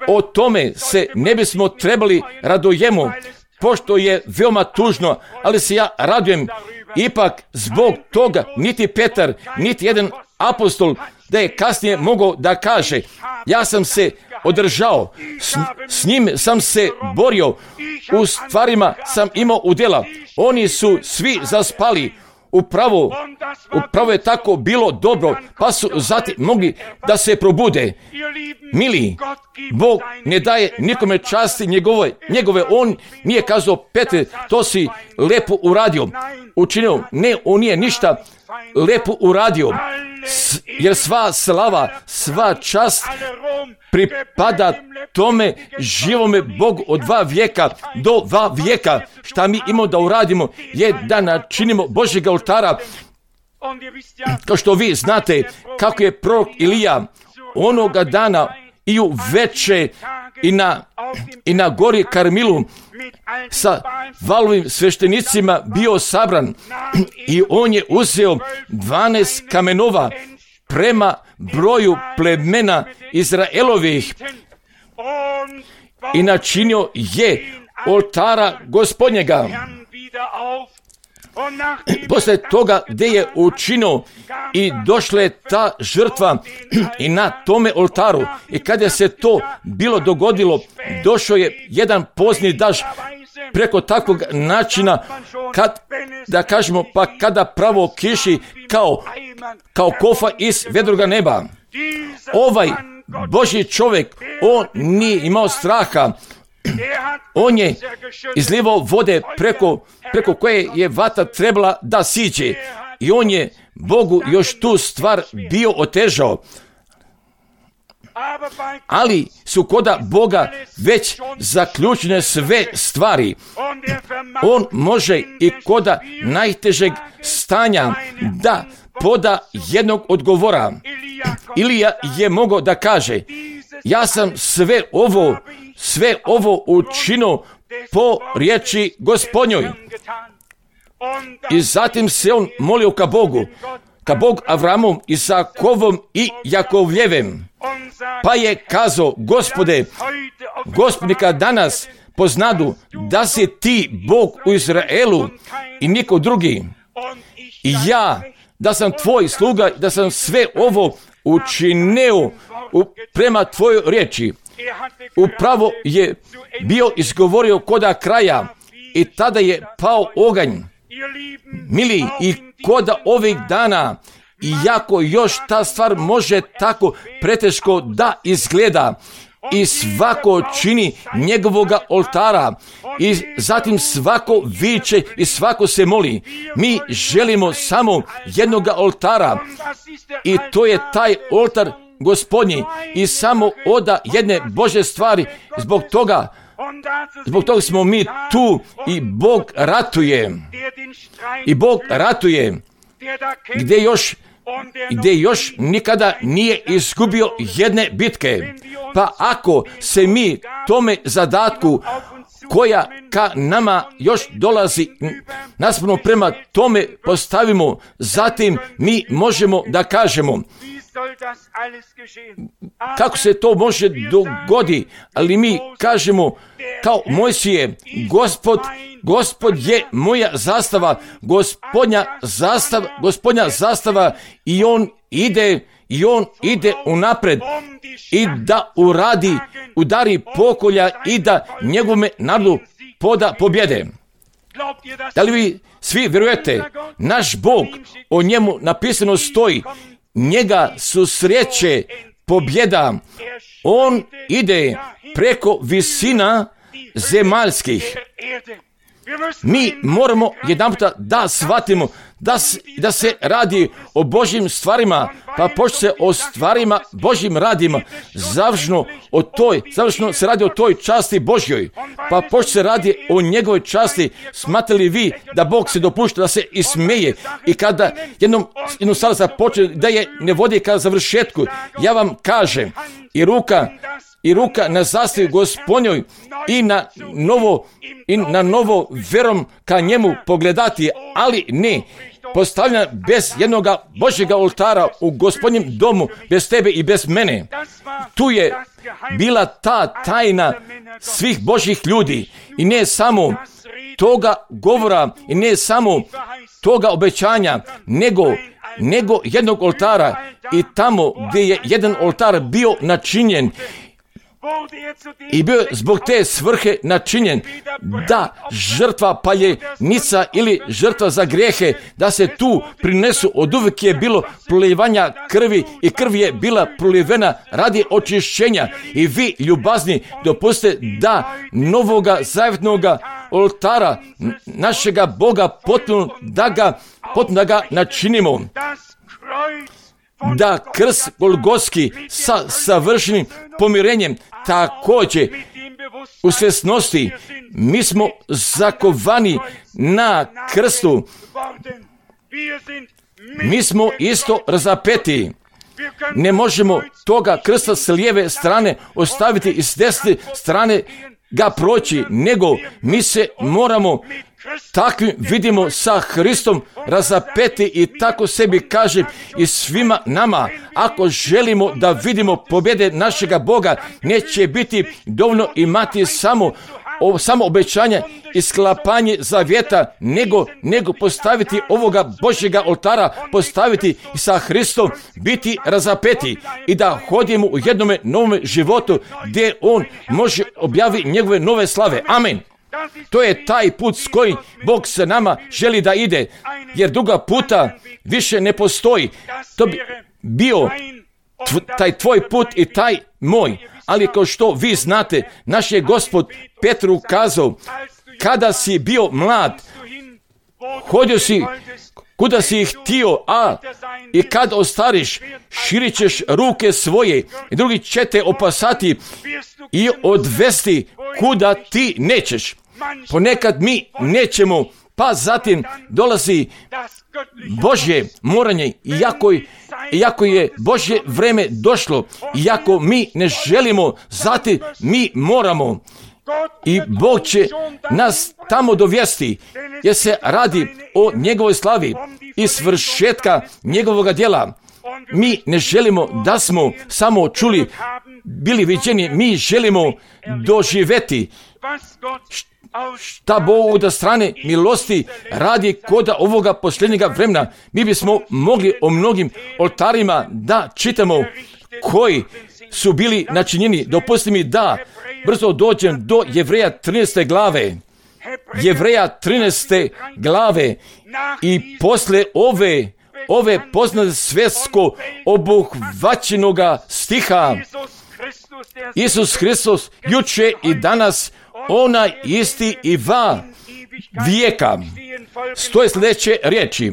O tome se ne bismo trebali radujemo, pošto je veoma tužno, ali se ja radujem. Ipak zbog toga niti Petar, niti jedan apostol da je kasnije mogao da kaže, ja sam se održao, s, s njim sam se borio, u stvarima sam imao udjela. Oni su svi zaspali. Upravo, upravo je tako bilo dobro, pa su zatim mogli da se probude. Mili, Bog ne daje nikome časti njegove, njegove. On nije kazao, Petre, to si lepo uradio. Učinio, ne, on nije ništa lepo uradio. S, jer sva slava, sva čast pripada tome živome Bogu od dva vijeka do dva vijeka. Šta mi imamo da uradimo je da načinimo Božjeg oltara. Kao što vi znate kako je prorok Ilija onoga dana i u veče i na, i na gori Karmilu sa valovim sveštenicima bio sabran i on je uzeo dvanaest kamenova prema broju plemena Izraelovih i načinio je oltara Gospodnjega. Poslije toga gdje je učinio i došla je ta žrtva i na tome oltaru i kada se to bilo dogodilo, došao je jedan pozni daž preko takvog načina, kad, da kažemo, pa kada pravo kiši kao, kao kofa iz vedroga neba. Ovaj Božji čovjek, on nije imao straha. On je izlivao vode preko, preko koje je vatra trebala da siđe. I on je Bogu još tu stvar bio otežao. Ali su koda Boga već zaključene sve stvari. On može i koda najtežeg stanja da poda jednog odgovora. Ilija je mogao da kaže, ja sam sve ovo, sve ovo učinio po riječi Gospodnjoj. I zatim se on molio ka Bogu, ka Bog Avramom, Isakovom i Jakovljevem. Pa je kazao, Gospode, Gospodnika danas poznadu da si ti Bog u Izraelu i niko drugi. I ja, da sam tvoj sluga, da sam sve ovo učinio prema tvojoj riječi. Upravo je bio izgovorio koda kraja i tada je pao oganj. Mili, i koda ovih dana, iako još ta stvar može tako preteško da izgleda, i svako čini njegovoga oltara, i zatim svako viče i svako se moli. Mi želimo samo jednoga oltara, i to je taj oltar Gospodnji, i samo oda jedne Božje stvari. Zbog toga Zbog toga smo mi tu, i Bog ratuje. I Bog ratuje gdje još gdje još nikada nije izgubio jedne bitke. Pa ako se mi tome zadatku koja ka nama još dolazi naspram prema tome postavimo, zatim mi možemo da kažemo kako se to može dogodi, ali mi kažemo kao Mojsije, Gospod, Gospod je moja zastava, Gospodnja zastava, Gospodnja zastava, i on ide, i on ide unapred i da uradi, udari pokolja i da njegome narodu poda pobjede. Da li vi svi vjerujete? Naš Bog, o njemu napisano stoji, njega susreće pobjeda. On ide preko visina zemaljskih. Mi moramo jedanputa da shvatimo da, da se radi o Božjim stvarima, pa pošto se o stvarima Božjim radima, završno o toj, završno se radi o toj časti Božjoj, pa pošto se radi o njegovoj časti, smatrali vi da Bog se dopušta da se ismeje, i kada jednom, jednom sada započne da je ne vodi ka završetku, ja vam kažem, i ruka i ruka na zastavi Gospodnjoj, i na novo i na novo verom ka njemu pogledati, ali ne postavljena bez jednoga Božjega oltara u Gospodnjem domu, bez tebe i bez mene. Tu je bila ta tajna svih Božjih ljudi, i ne samo toga govora, i ne samo toga obećanja, nego nego jednog oltara, i tamo gdje je jedan oltar bio načinjen i bio zbog te svrhe načinjen, da žrtva paljenica ili žrtva za grijehe, da se tu prinesu, od uvijek je bilo prolivanja krvi, i krv je bila prolivena radi očišćenja. I vi, ljubazni, dopustite da novoga zavjetnoga oltara našega Boga potpuno da ga, potpuno da ga načinimo, da krst Golgotski sa savršenim pomirenjem također u svjesnosti. Mi smo zakovani na krstu, mi smo isto razapeti. Ne možemo toga krsta s lijeve strane ostaviti i s desne strane ga proći, nego mi se moramo takvim vidimo sa Hristom razapeti, i tako sebi kažem i svima nama, ako želimo da vidimo pobjede našega Boga, neće biti dovoljno imati samo o, samo obećanje i sklapanje zavjeta, nego, nego postaviti ovoga Božjega oltara, postaviti i sa Hristom biti razapeti, i da hodimo u jednome novome životu gdje on može objaviti njegove nove slave. Amen. To je taj put s kojim Bog se nama želi da ide, jer druga puta više ne postoji. To bi bio tv, taj tvoj put i taj moj. Ali kao što vi znate, naš je Gospod Petru kazao, kada si bio mlad, hodio si kuda si ih htio, a i kad ostariš, širit ćeš ruke svoje, i drugi će te opasati i odvesti kuda ti nećeš. Ponekad mi nećemo, pa zatim dolazi Božje moranje, iako, iako je Božje vreme došlo, iako mi ne želimo, zatim mi moramo. I Bog će nas tamo dovesti, jer se radi o njegovoj slavi i svršetka njegovog djela. Mi ne želimo da smo samo čuli, bili viđeni, mi želimo doživjeti šta Bog da strane milosti radi koda ovoga posljednjega vremena. Mi bismo mogli o mnogim oltarima da čitamo koji su bili načinjeni. Dopusti mi da brzo dođem do Jevreja trinaeste glave. Jevreja trinaeste glave i posle ove, ove poznate svjetsko obuhvaćenoga stiha, Isus Hristos juče i danas, onaj isti i va vijeka. Stoje sljedeće riječi.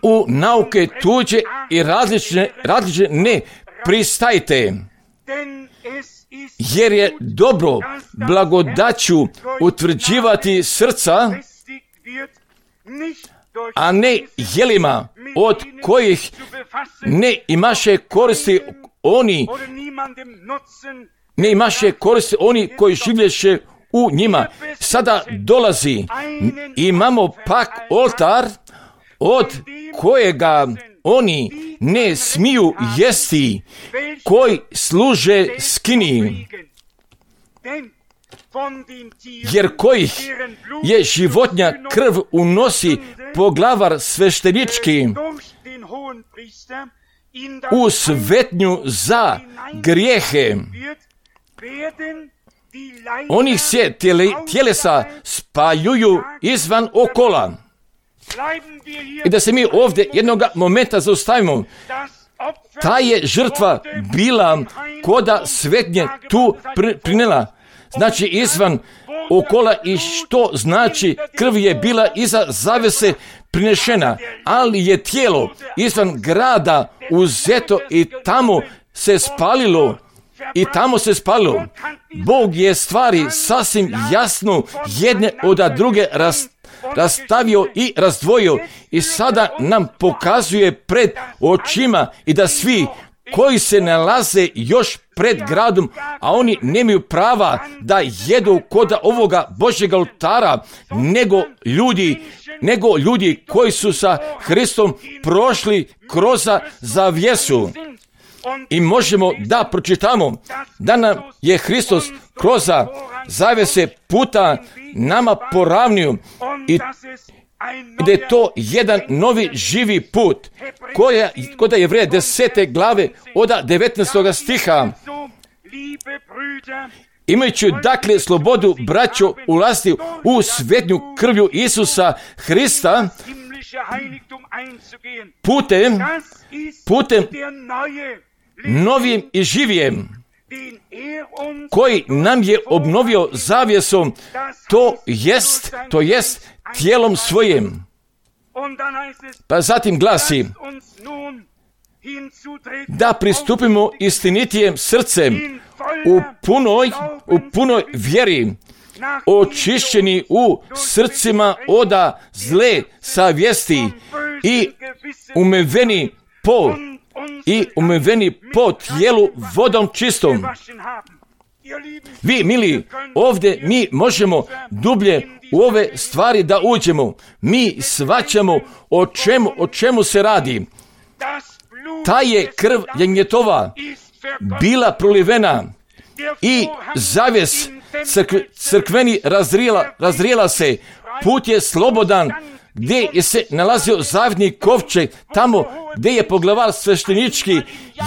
U nauke tuđe i različne, različne ne pristajte, jer je dobro blagodaću utvrđivati srca, a ne jelima od kojih ne imaše koristi oni, ne imaše koristi oni koji življeše u njima. Sada dolazi, imamo pak oltar od kojega oni ne smiju jesti, koji služe skini, jer kojih je životnja krv unosi poglavar sveštenički u svetnju za grijehe. Onih se tjele, tjelesa spajuju izvan okola. I da se mi ovdje jednoga momenta zaustavimo. Ta je žrtva bila koda svetnje tu prinela. Znači izvan okola, i što znači krv je bila iza zavese prinešena, ali je tijelo izvan grada uzeto i tamo se spalilo. I tamo se spalilo. Bog je stvari sasvim jasno jedne od druge ras, rastavio i razdvojio i sada nam pokazuje pred očima i da svi koji se nalaze još pred gradom, a oni nemaju prava da jedu kod ovoga Božjeg oltara, nego ljudi, nego ljudi koji su sa Hristom prošli kroz zavjesu. I možemo da pročitamo da nam je Hristos kroz zavese puta nama poravnio i da je to jedan novi živi put koja, kod Jevreja desete glave od devetnaestog stiha. Imajući dakle slobodu, braćo, ulasti u svetnju krvlju Isusa Hrista, putem, putem novim i živijem, koji nam je obnovio zavjesom, to jest, to jest tijelom svojim. Pa zatim glasi, da pristupimo istinitijem srcem u punoj, u punoj vjeri, očišćeni u srcima oda zle savjesti i umiveni po i umiveni po tijelu vodom čistom. Vi, mili, ovdje mi možemo dublje u ove stvari da uđemo. Mi shvaćamo o čemu, o čemu se radi. Ta je krv jagnjetova bila prolivena i zavjes crkve, crkveni razrijela, razrijela se. Put je slobodan, gdje je se nalazio zavjetni kovčeg, tamo gdje je poglavar sveštenički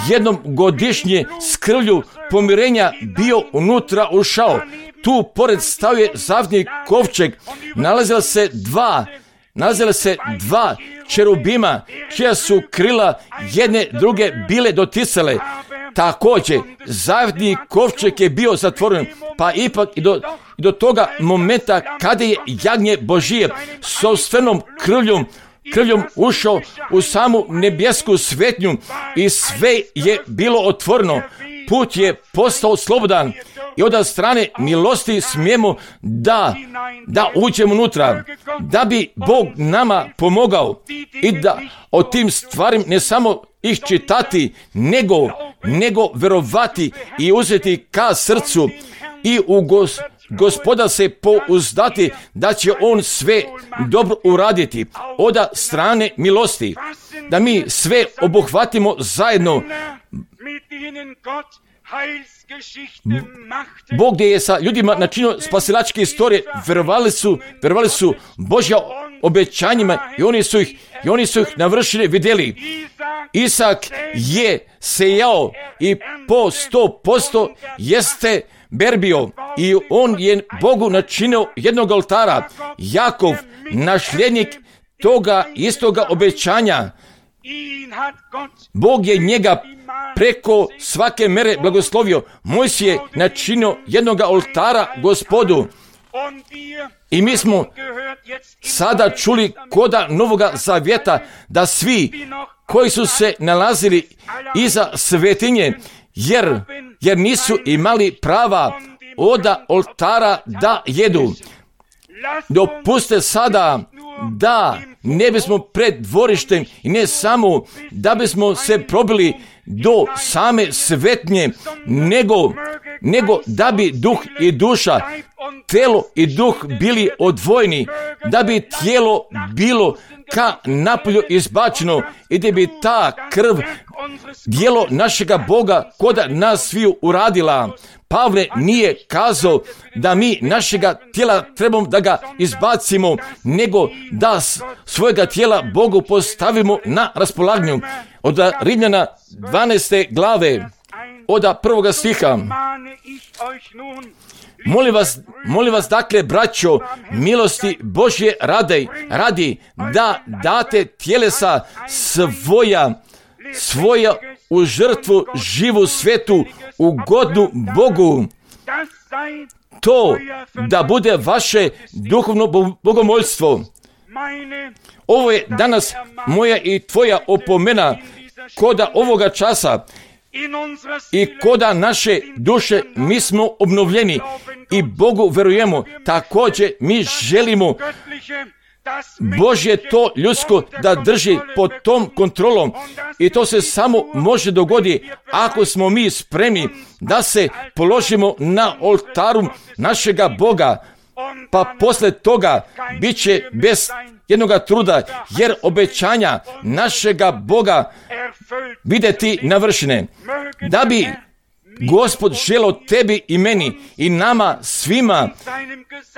jednom godišnje s krvlju pomirenja bio unutra ušao. Tu pored stavio zavjetni kovčeg, nalazila se dva, nalazila se dva čerubima, čija su krila jedne druge bile doticale. Također, zavjetni kovčeg je bio zatvoren, pa ipak i do, i do toga momenta kada je jagnje Božije sopstvenom krvljom, krvljom ušao u samu nebjesku svetnju i sve je bilo otvoreno. Put je postao slobodan i od strane milosti smijemo da, da uđemo unutra, da bi Bog nama pomogao i da o tim stvarima ne samo ih čitati, nego, nego verovati i uzeti ka srcu i u gos, Gospoda se pouzdati da će On sve dobro uraditi od strane milosti, da mi sve obuhvatimo zajedno. Bog gdje je sa ljudima načinio spasilačke istorije, verovali su, verovali su Božja obećanjima i oni su ih, i oni su ih navršili, vidjeli. Isak je sejao i po sto posto jeste berbio i on je Bogu načinio jednog oltara. Jakov, nasljednik toga istoga obećanja, Bog je njega preko svake mere blagoslovio. Mojsije je načinio jednog oltara Gospodu. I mi smo sada čuli koda Novoga Zavjeta da svi koji su se nalazili iza svetinje, jer, jer nisu imali prava oda oltara da jedu. Dopuste sada da ne bismo pred dvorištem i ne samo da bismo se probili do same svetnje, nego, nego da bi duh i duša, telo i duh bili odvojeni, da bi tijelo bilo ka napolju izbačeno i da bi ta krv djelo našega Boga koda nas sviju uradila. Pavle nije kazao da mi našega tijela trebamo da ga izbacimo, nego da svojega tijela Bogu postavimo na raspolaganju. Od Rimljana dvanaeste glave, od prvoga stiha. Molim vas, molim vas dakle, braćo, milosti Božje radi, radi da date tjelesa svoja, svoja u žrtvu živu, svetu, ugodnu Bogu. To da bude vaše duhovno bogomoljstvo. Ovo je danas moja i tvoja opomena koda ovoga časa i koda naše duše mi smo obnovljeni i Bogu verujemo. Također mi želimo Božje to ljudsko da drži pod tom kontrolom i to se samo može dogoditi ako smo mi spremni da se položimo na oltaru našega Boga, pa posle toga bit će bez jednoga truda, jer obećanja našega Boga vidjeti navršene. Da bi Gospod želio tebi i meni i nama svima,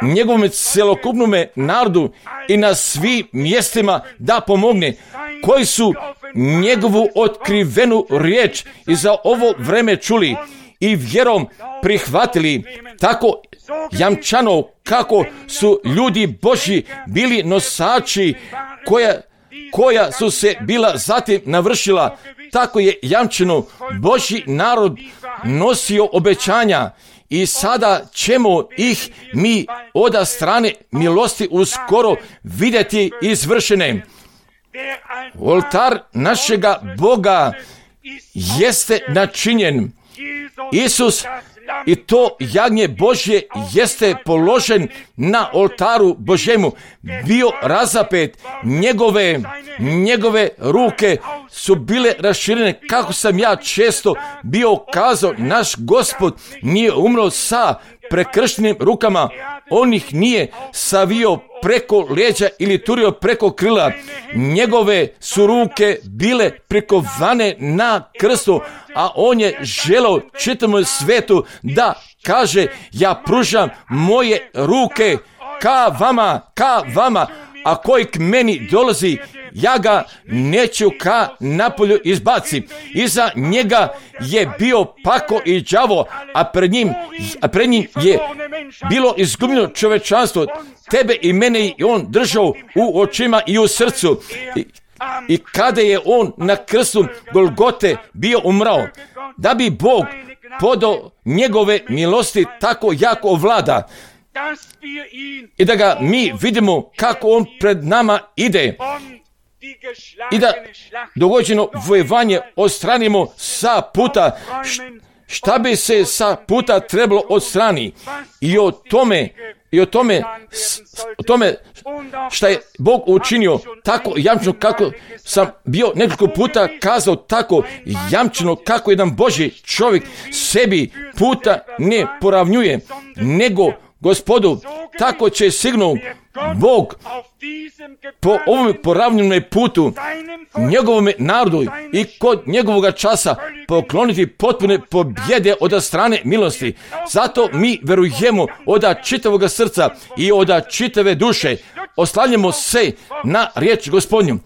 njegovom celokupnome narodu i na svim mjestima da pomogne, koji su njegovu otkrivenu riječ i za ovo vreme čuli i vjerom prihvatili, tako jamčano kako su ljudi Božji bili nosači koja, koja su se bila zatim navršila, tako je jamčeno Božji narod nosio obećanja i sada ćemo ih mi od strane milosti uskoro vidjeti izvršene. Oltar našega Boga jeste načinjen. Isus i to jagnje Božje jeste položen na oltaru Božjemu, bio razapet, njegove, njegove ruke su bile raširene, kako sam ja često bio kazao, naš Gospod nije umro sa prekrštenim rukama, on ih nije savio preko leđa ili turio preko krila, njegove su ruke bile prikovane na krstu, a on je želeo čitavom svetu da kaže, ja pružam moje ruke ka vama, ka vama, a koji k meni dolazi, ja ga neću ka napolju izbaci. Iza njega je bio pako i đavo, a pred njim, a pred njim je bilo izgubljeno čovečanstvo. Tebe i mene i on držao u očima i u srcu. I, i kada je on na krstu Golgote bio umrao, da bi Bog podao njegove milosti tako jako vlada, i da ga mi vidimo kako on pred nama ide i da dogođeno vojevanje odstranimo sa puta. Šta bi se sa puta trebalo odstrani i o tome i o tome o tome šta je Bog učinio tako jamčeno, kako sam bio nekoliko puta kazao, tako jamčeno kako jedan Božji čovjek sebi puta ne poravnjuje, nego Gospodu, tako će sigurno Bog po ovom poravnjenom putu njegovom narodu i kod njegovoga časa pokloniti potpune pobjede od strane milosti. Zato mi verujemo od čitavog srca i od čitave duše, oslanjamo se na riječ Gospodnju.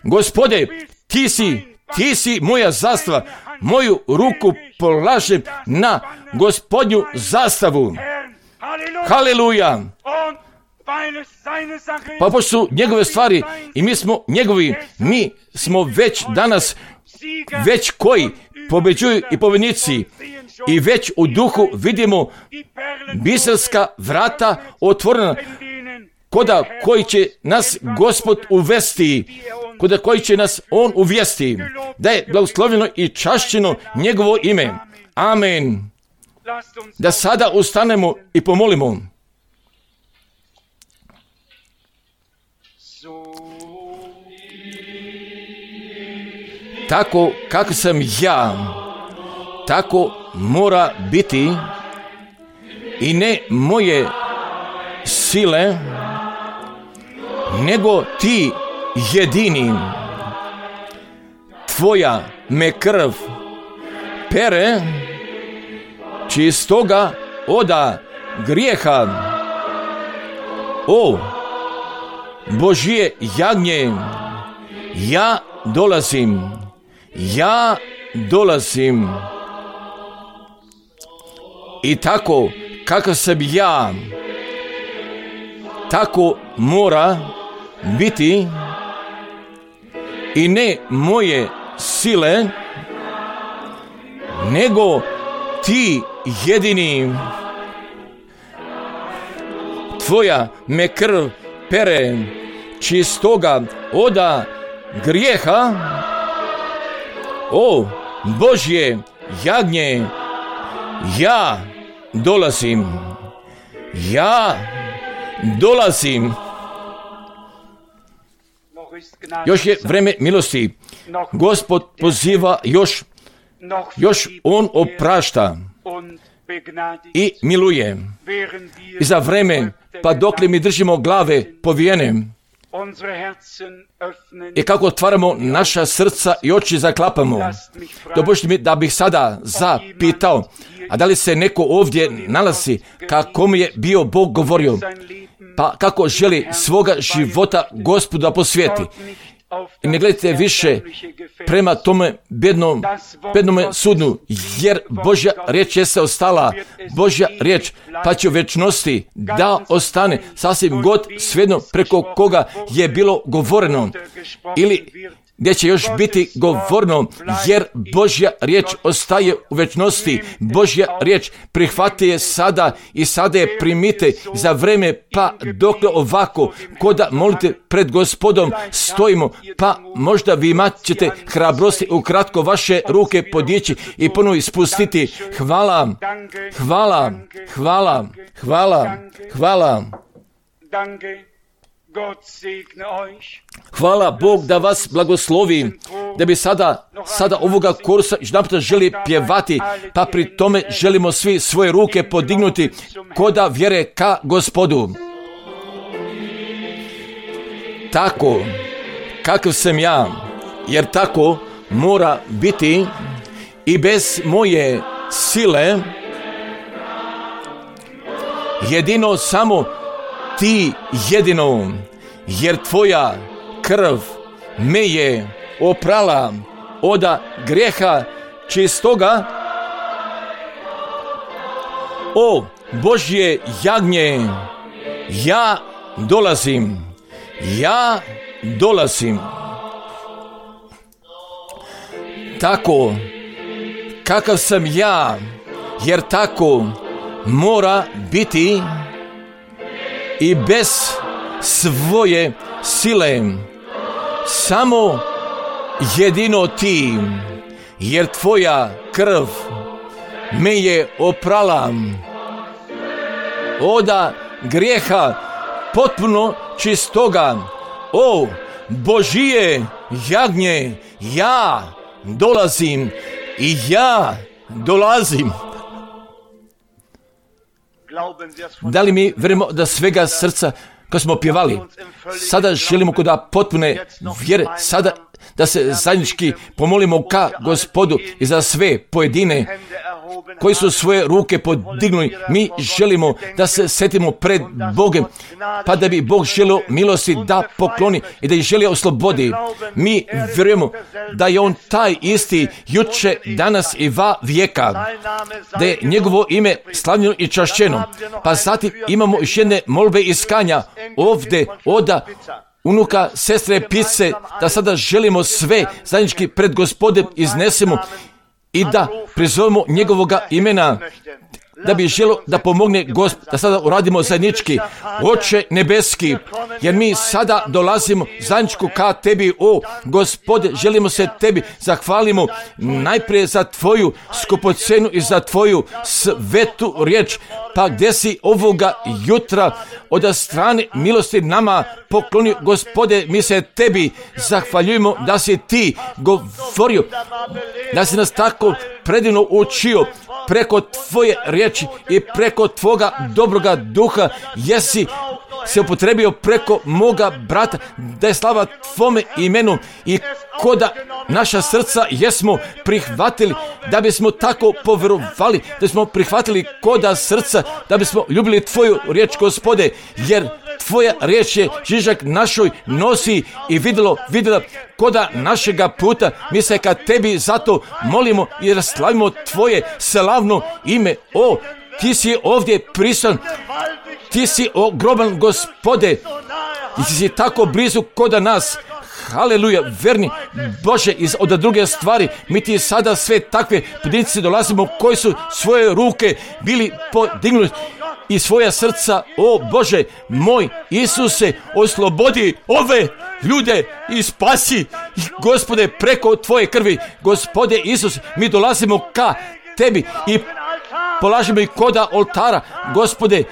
Gospode, ti si, ti si moja zastava, moju ruku polažem na Gospodnju zastavu. Haleluja! Pa pošto su njegove stvari i mi smo njegovi, mi smo već danas, već koji pobeđuju i pobjednici, i već u duhu vidimo biserska vrata otvorena, koda koji će nas Gospod uvesti, koda koji će nas On uvesti, da je blagoslovljeno i čašćeno njegovo ime. Amen. Da sada ustanemo i pomolimo. Tako kako sam ja, tako mora biti, i ne moje sile, nego ti jedini. Tvoja me krv pere čistoga oda grijeha. O Božje jagnje, ja dolazim, ja dolazim. I tako kako sam ja, tako mora biti, i ne moje sile, nego ti jedini. Tvoja me krv pere čistoga oda grijeha. O Božje jagnje, ja dolazim, ja dolazim. Još je vreme milosti. Gospod poziva još, još On oprašta i miluje. I za vreme, pa dokle mi držimo glave povijene, i kako otvaramo naša srca i oči zaklapamo, dopustite mi da bih sada zapitao, a da li se neko ovdje nalazi kako mi je bio Bog govorio, pa kako želi svoga života Gospodu da posvijeti. I ne gledajte više prema tome bednom, bednome sudnu, jer Božja riječ je se ostala, Božja riječ, pa će u večnosti da ostane sasvim god svejedno preko koga je bilo govoreno, ili gdje će još biti govorno, jer Božja riječ ostaje u večnosti. Božja riječ prihvati je sada i sada je primite za vreme, pa dokle ovako, koda molite pred Gospodom stojimo, pa možda vi imat ćete hrabrosti ukratko vaše ruke podići i ponovo ispustiti. Hvala, hvala, hvala, hvala, hvala. Hvala Bog da vas blagoslovi, da bi sada, sada ovoga kursa jedanput želi pjevati, pa pri tome želimo svi svoje ruke podignuti koda vjere ka Gospodu. Tako, kakav sam ja, jer tako mora biti, i bez moje sile, jedino samo ti jedino, jer tvoja krv me je oprala oda grijeha čistoga. O Božje jagnje, ja dolazim, ja dolazim. Tako kakav sam ja, jer tako mora biti, i bez svoje sile, samo jedino ti, jer tvoja krv me je oprala oda grijeha potpuno čistoga. O Božije jagnje, ja dolazim i ja dolazim. Da li mi vjerujemo da svega srca, kad smo pjevali, sada želimo kod potpune vjere, sada da se zajednički pomolimo ka Gospodu i za sve pojedine koji su svoje ruke podignuli. Mi želimo da se setimo pred Bogom, pa da bi Bog želio milosti da pokloni i da ih želi oslobodi. Mi vjerujemo da je On taj isti juče, danas i va vijeka, da je njegovo ime slavljeno i čašćeno. Pa zatim imamo još jedne molbe iskanja ovdje oda unuka sestre Pice, da sada želimo sve zajednički pred Gospodem iznesemo i da prizovemo njegovoga imena, da bi želio da pomogne Gospod, da sada uradimo zajednički. Oče nebeski, jer mi sada dolazimo zajedničku ka tebi, o Gospode, želimo se tebi zahvalimo najprije za tvoju skupocenu i za tvoju svetu riječ, pa gdje si ovoga jutra od strane milosti nama poklonio, Gospode, mi se tebi zahvaljujemo da si ti govorio, da si nas tako predivno učio preko tvoje riječi i preko tvoga dobroga duha, jesi se upotrebio preko moga brata, da je slava tvome imenu i koda naša srca jesmo prihvatili, da bismo tako povjerovali, da smo prihvatili koda srca, da bismo ljubili tvoju riječ, Gospode, jer tvoja riječ je žižak našoj nosi i vidjelo, vidjela koda našega puta. Mi se ka tebi zato molimo i slavimo tvoje slavno ime. O, ti si ovdje prisutan, ti si ogroman, Gospode, i ti si tako blizu koda nas. Haleluja, verni Bože, iz od druge stvari, mi ti sada sve takve pojedinci dolazimo koji su svoje ruke bili podignuli i svoja srca, o Bože moj Isuse, oslobodi ove ljude i spasi, Gospode, preko tvoje krvi. Gospode Isus, mi dolazimo ka tebi i polažemo i koda oltara, Gospode,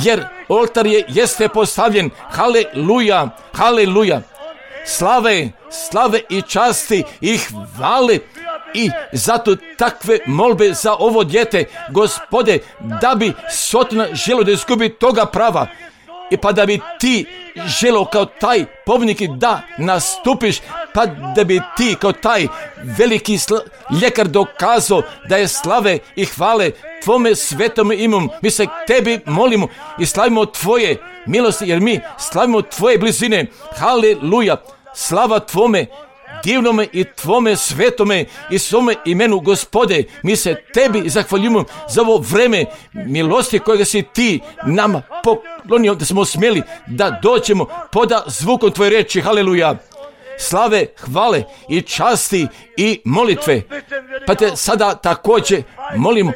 jer oltar je jeste postavljen. Haleluja, haleluja. Slave, slave i časti i hvale i zato takve molbe za ovo dijete, Gospode, da bi Sotona želo da izgubi toga prava i pa da bi ti želo kao taj pobjednik da nastupiš, pa da bi ti kao taj veliki sl- ljekar dokazao da je slave i hvale tvome svetom imom. Mi se tebi molimo i slavimo tvoje milosti, jer mi slavimo tvoje blizine. Haleluja, slava tvome divnome i tvome svetome i svome imenu, Gospode. Mi se tebi zahvaljujemo za ovo vreme milosti kojega si ti nama poklonio, da smo smjeli da dođemo poda zvukom tvoje reči. Haleluja, slave, hvale i časti i molitve. Pa te sada također molimo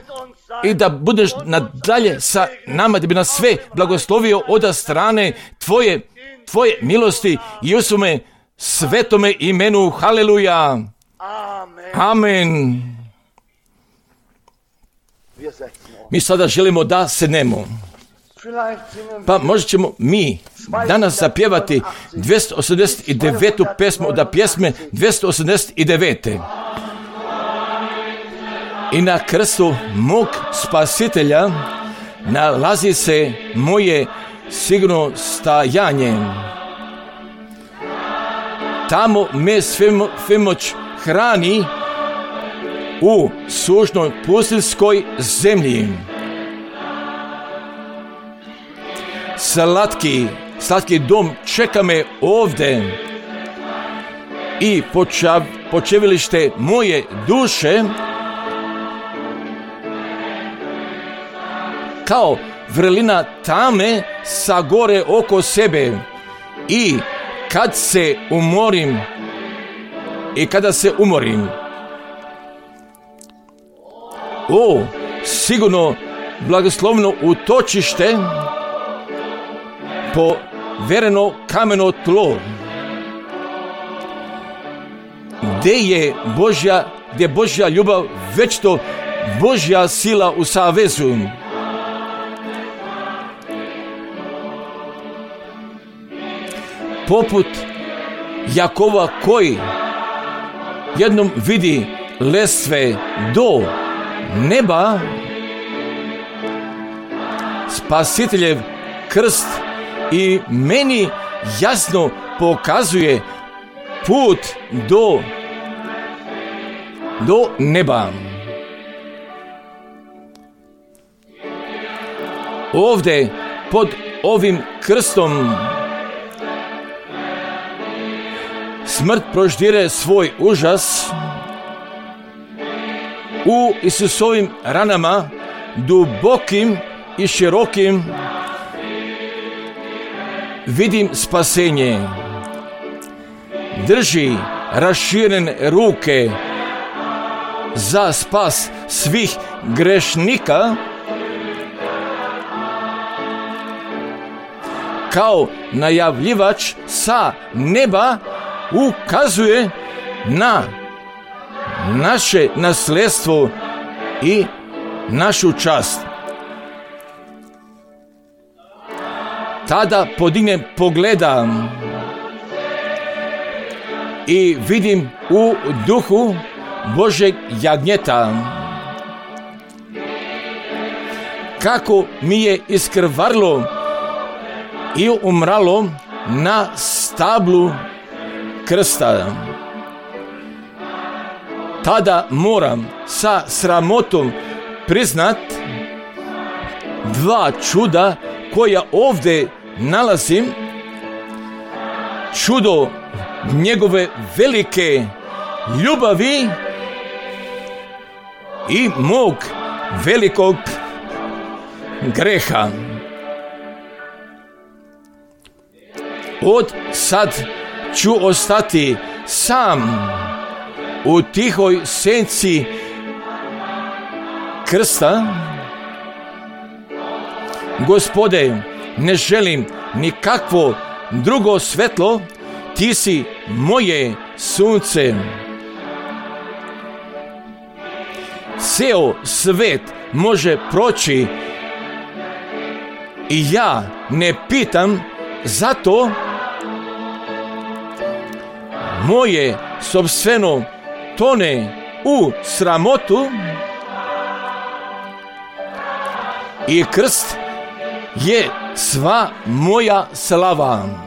i da budeš nadalje sa nama, da bi nas sve blagoslovio od strane tvoje, tvoje milosti i u svome svetome imenu. Haleluja. Amen. Mi sada želimo da sednemo. Pa možda ćemo mi danas zapjevati dvjesto osamdeset devetu pesmu od pjesme dvjesto osamdeset devet. I na krstu mog spasitelja nalazi se moje sigurno stajanje. Tamo me svemoć hrani u sušnoj pustinskoj zemlji. Slatki, slatki dom čeka me ovdje i počav, počevilište moje duše kao vrlina tame sa gore oko sebe. I kad se umorim i kada se umorim, o, sigurno blagoslovno utočište, povereno kameno tlo, gdje je Božja, gdje Božja ljubav, već to Božja sila u savezu. Poput Jakova koji jednom vidi lestve do neba, Spasiteljev krst i meni jasno pokazuje put do, do neba. ovdje pod ovim krstom smrt proždire svoj užas, u Isusovim ranama, dubokim i širokim, vidim spasenje. Drži raširene ruke za spas svih grešnika, kao najavljivač sa neba ukazuje na naše nasljedstvo i našu čast. Tada podignem pogleda i vidim u duhu Božeg jagnjeta kako mi je iskrvarlo i umralo na stablu krsta. Tada moram sa sramotom priznat dva čuda koja ovdje nalazim. Čudo njegove velike ljubavi i mog velikog greha. Od sad ću ostati sam u tihoj senci krsta. Gospode, ne želim nikakvo drugo svetlo, ti si moje sunce. Ceo svet može proći i ja ne pitam za to. Moje sopstveno tone u sramotu i krst je sva moja slava.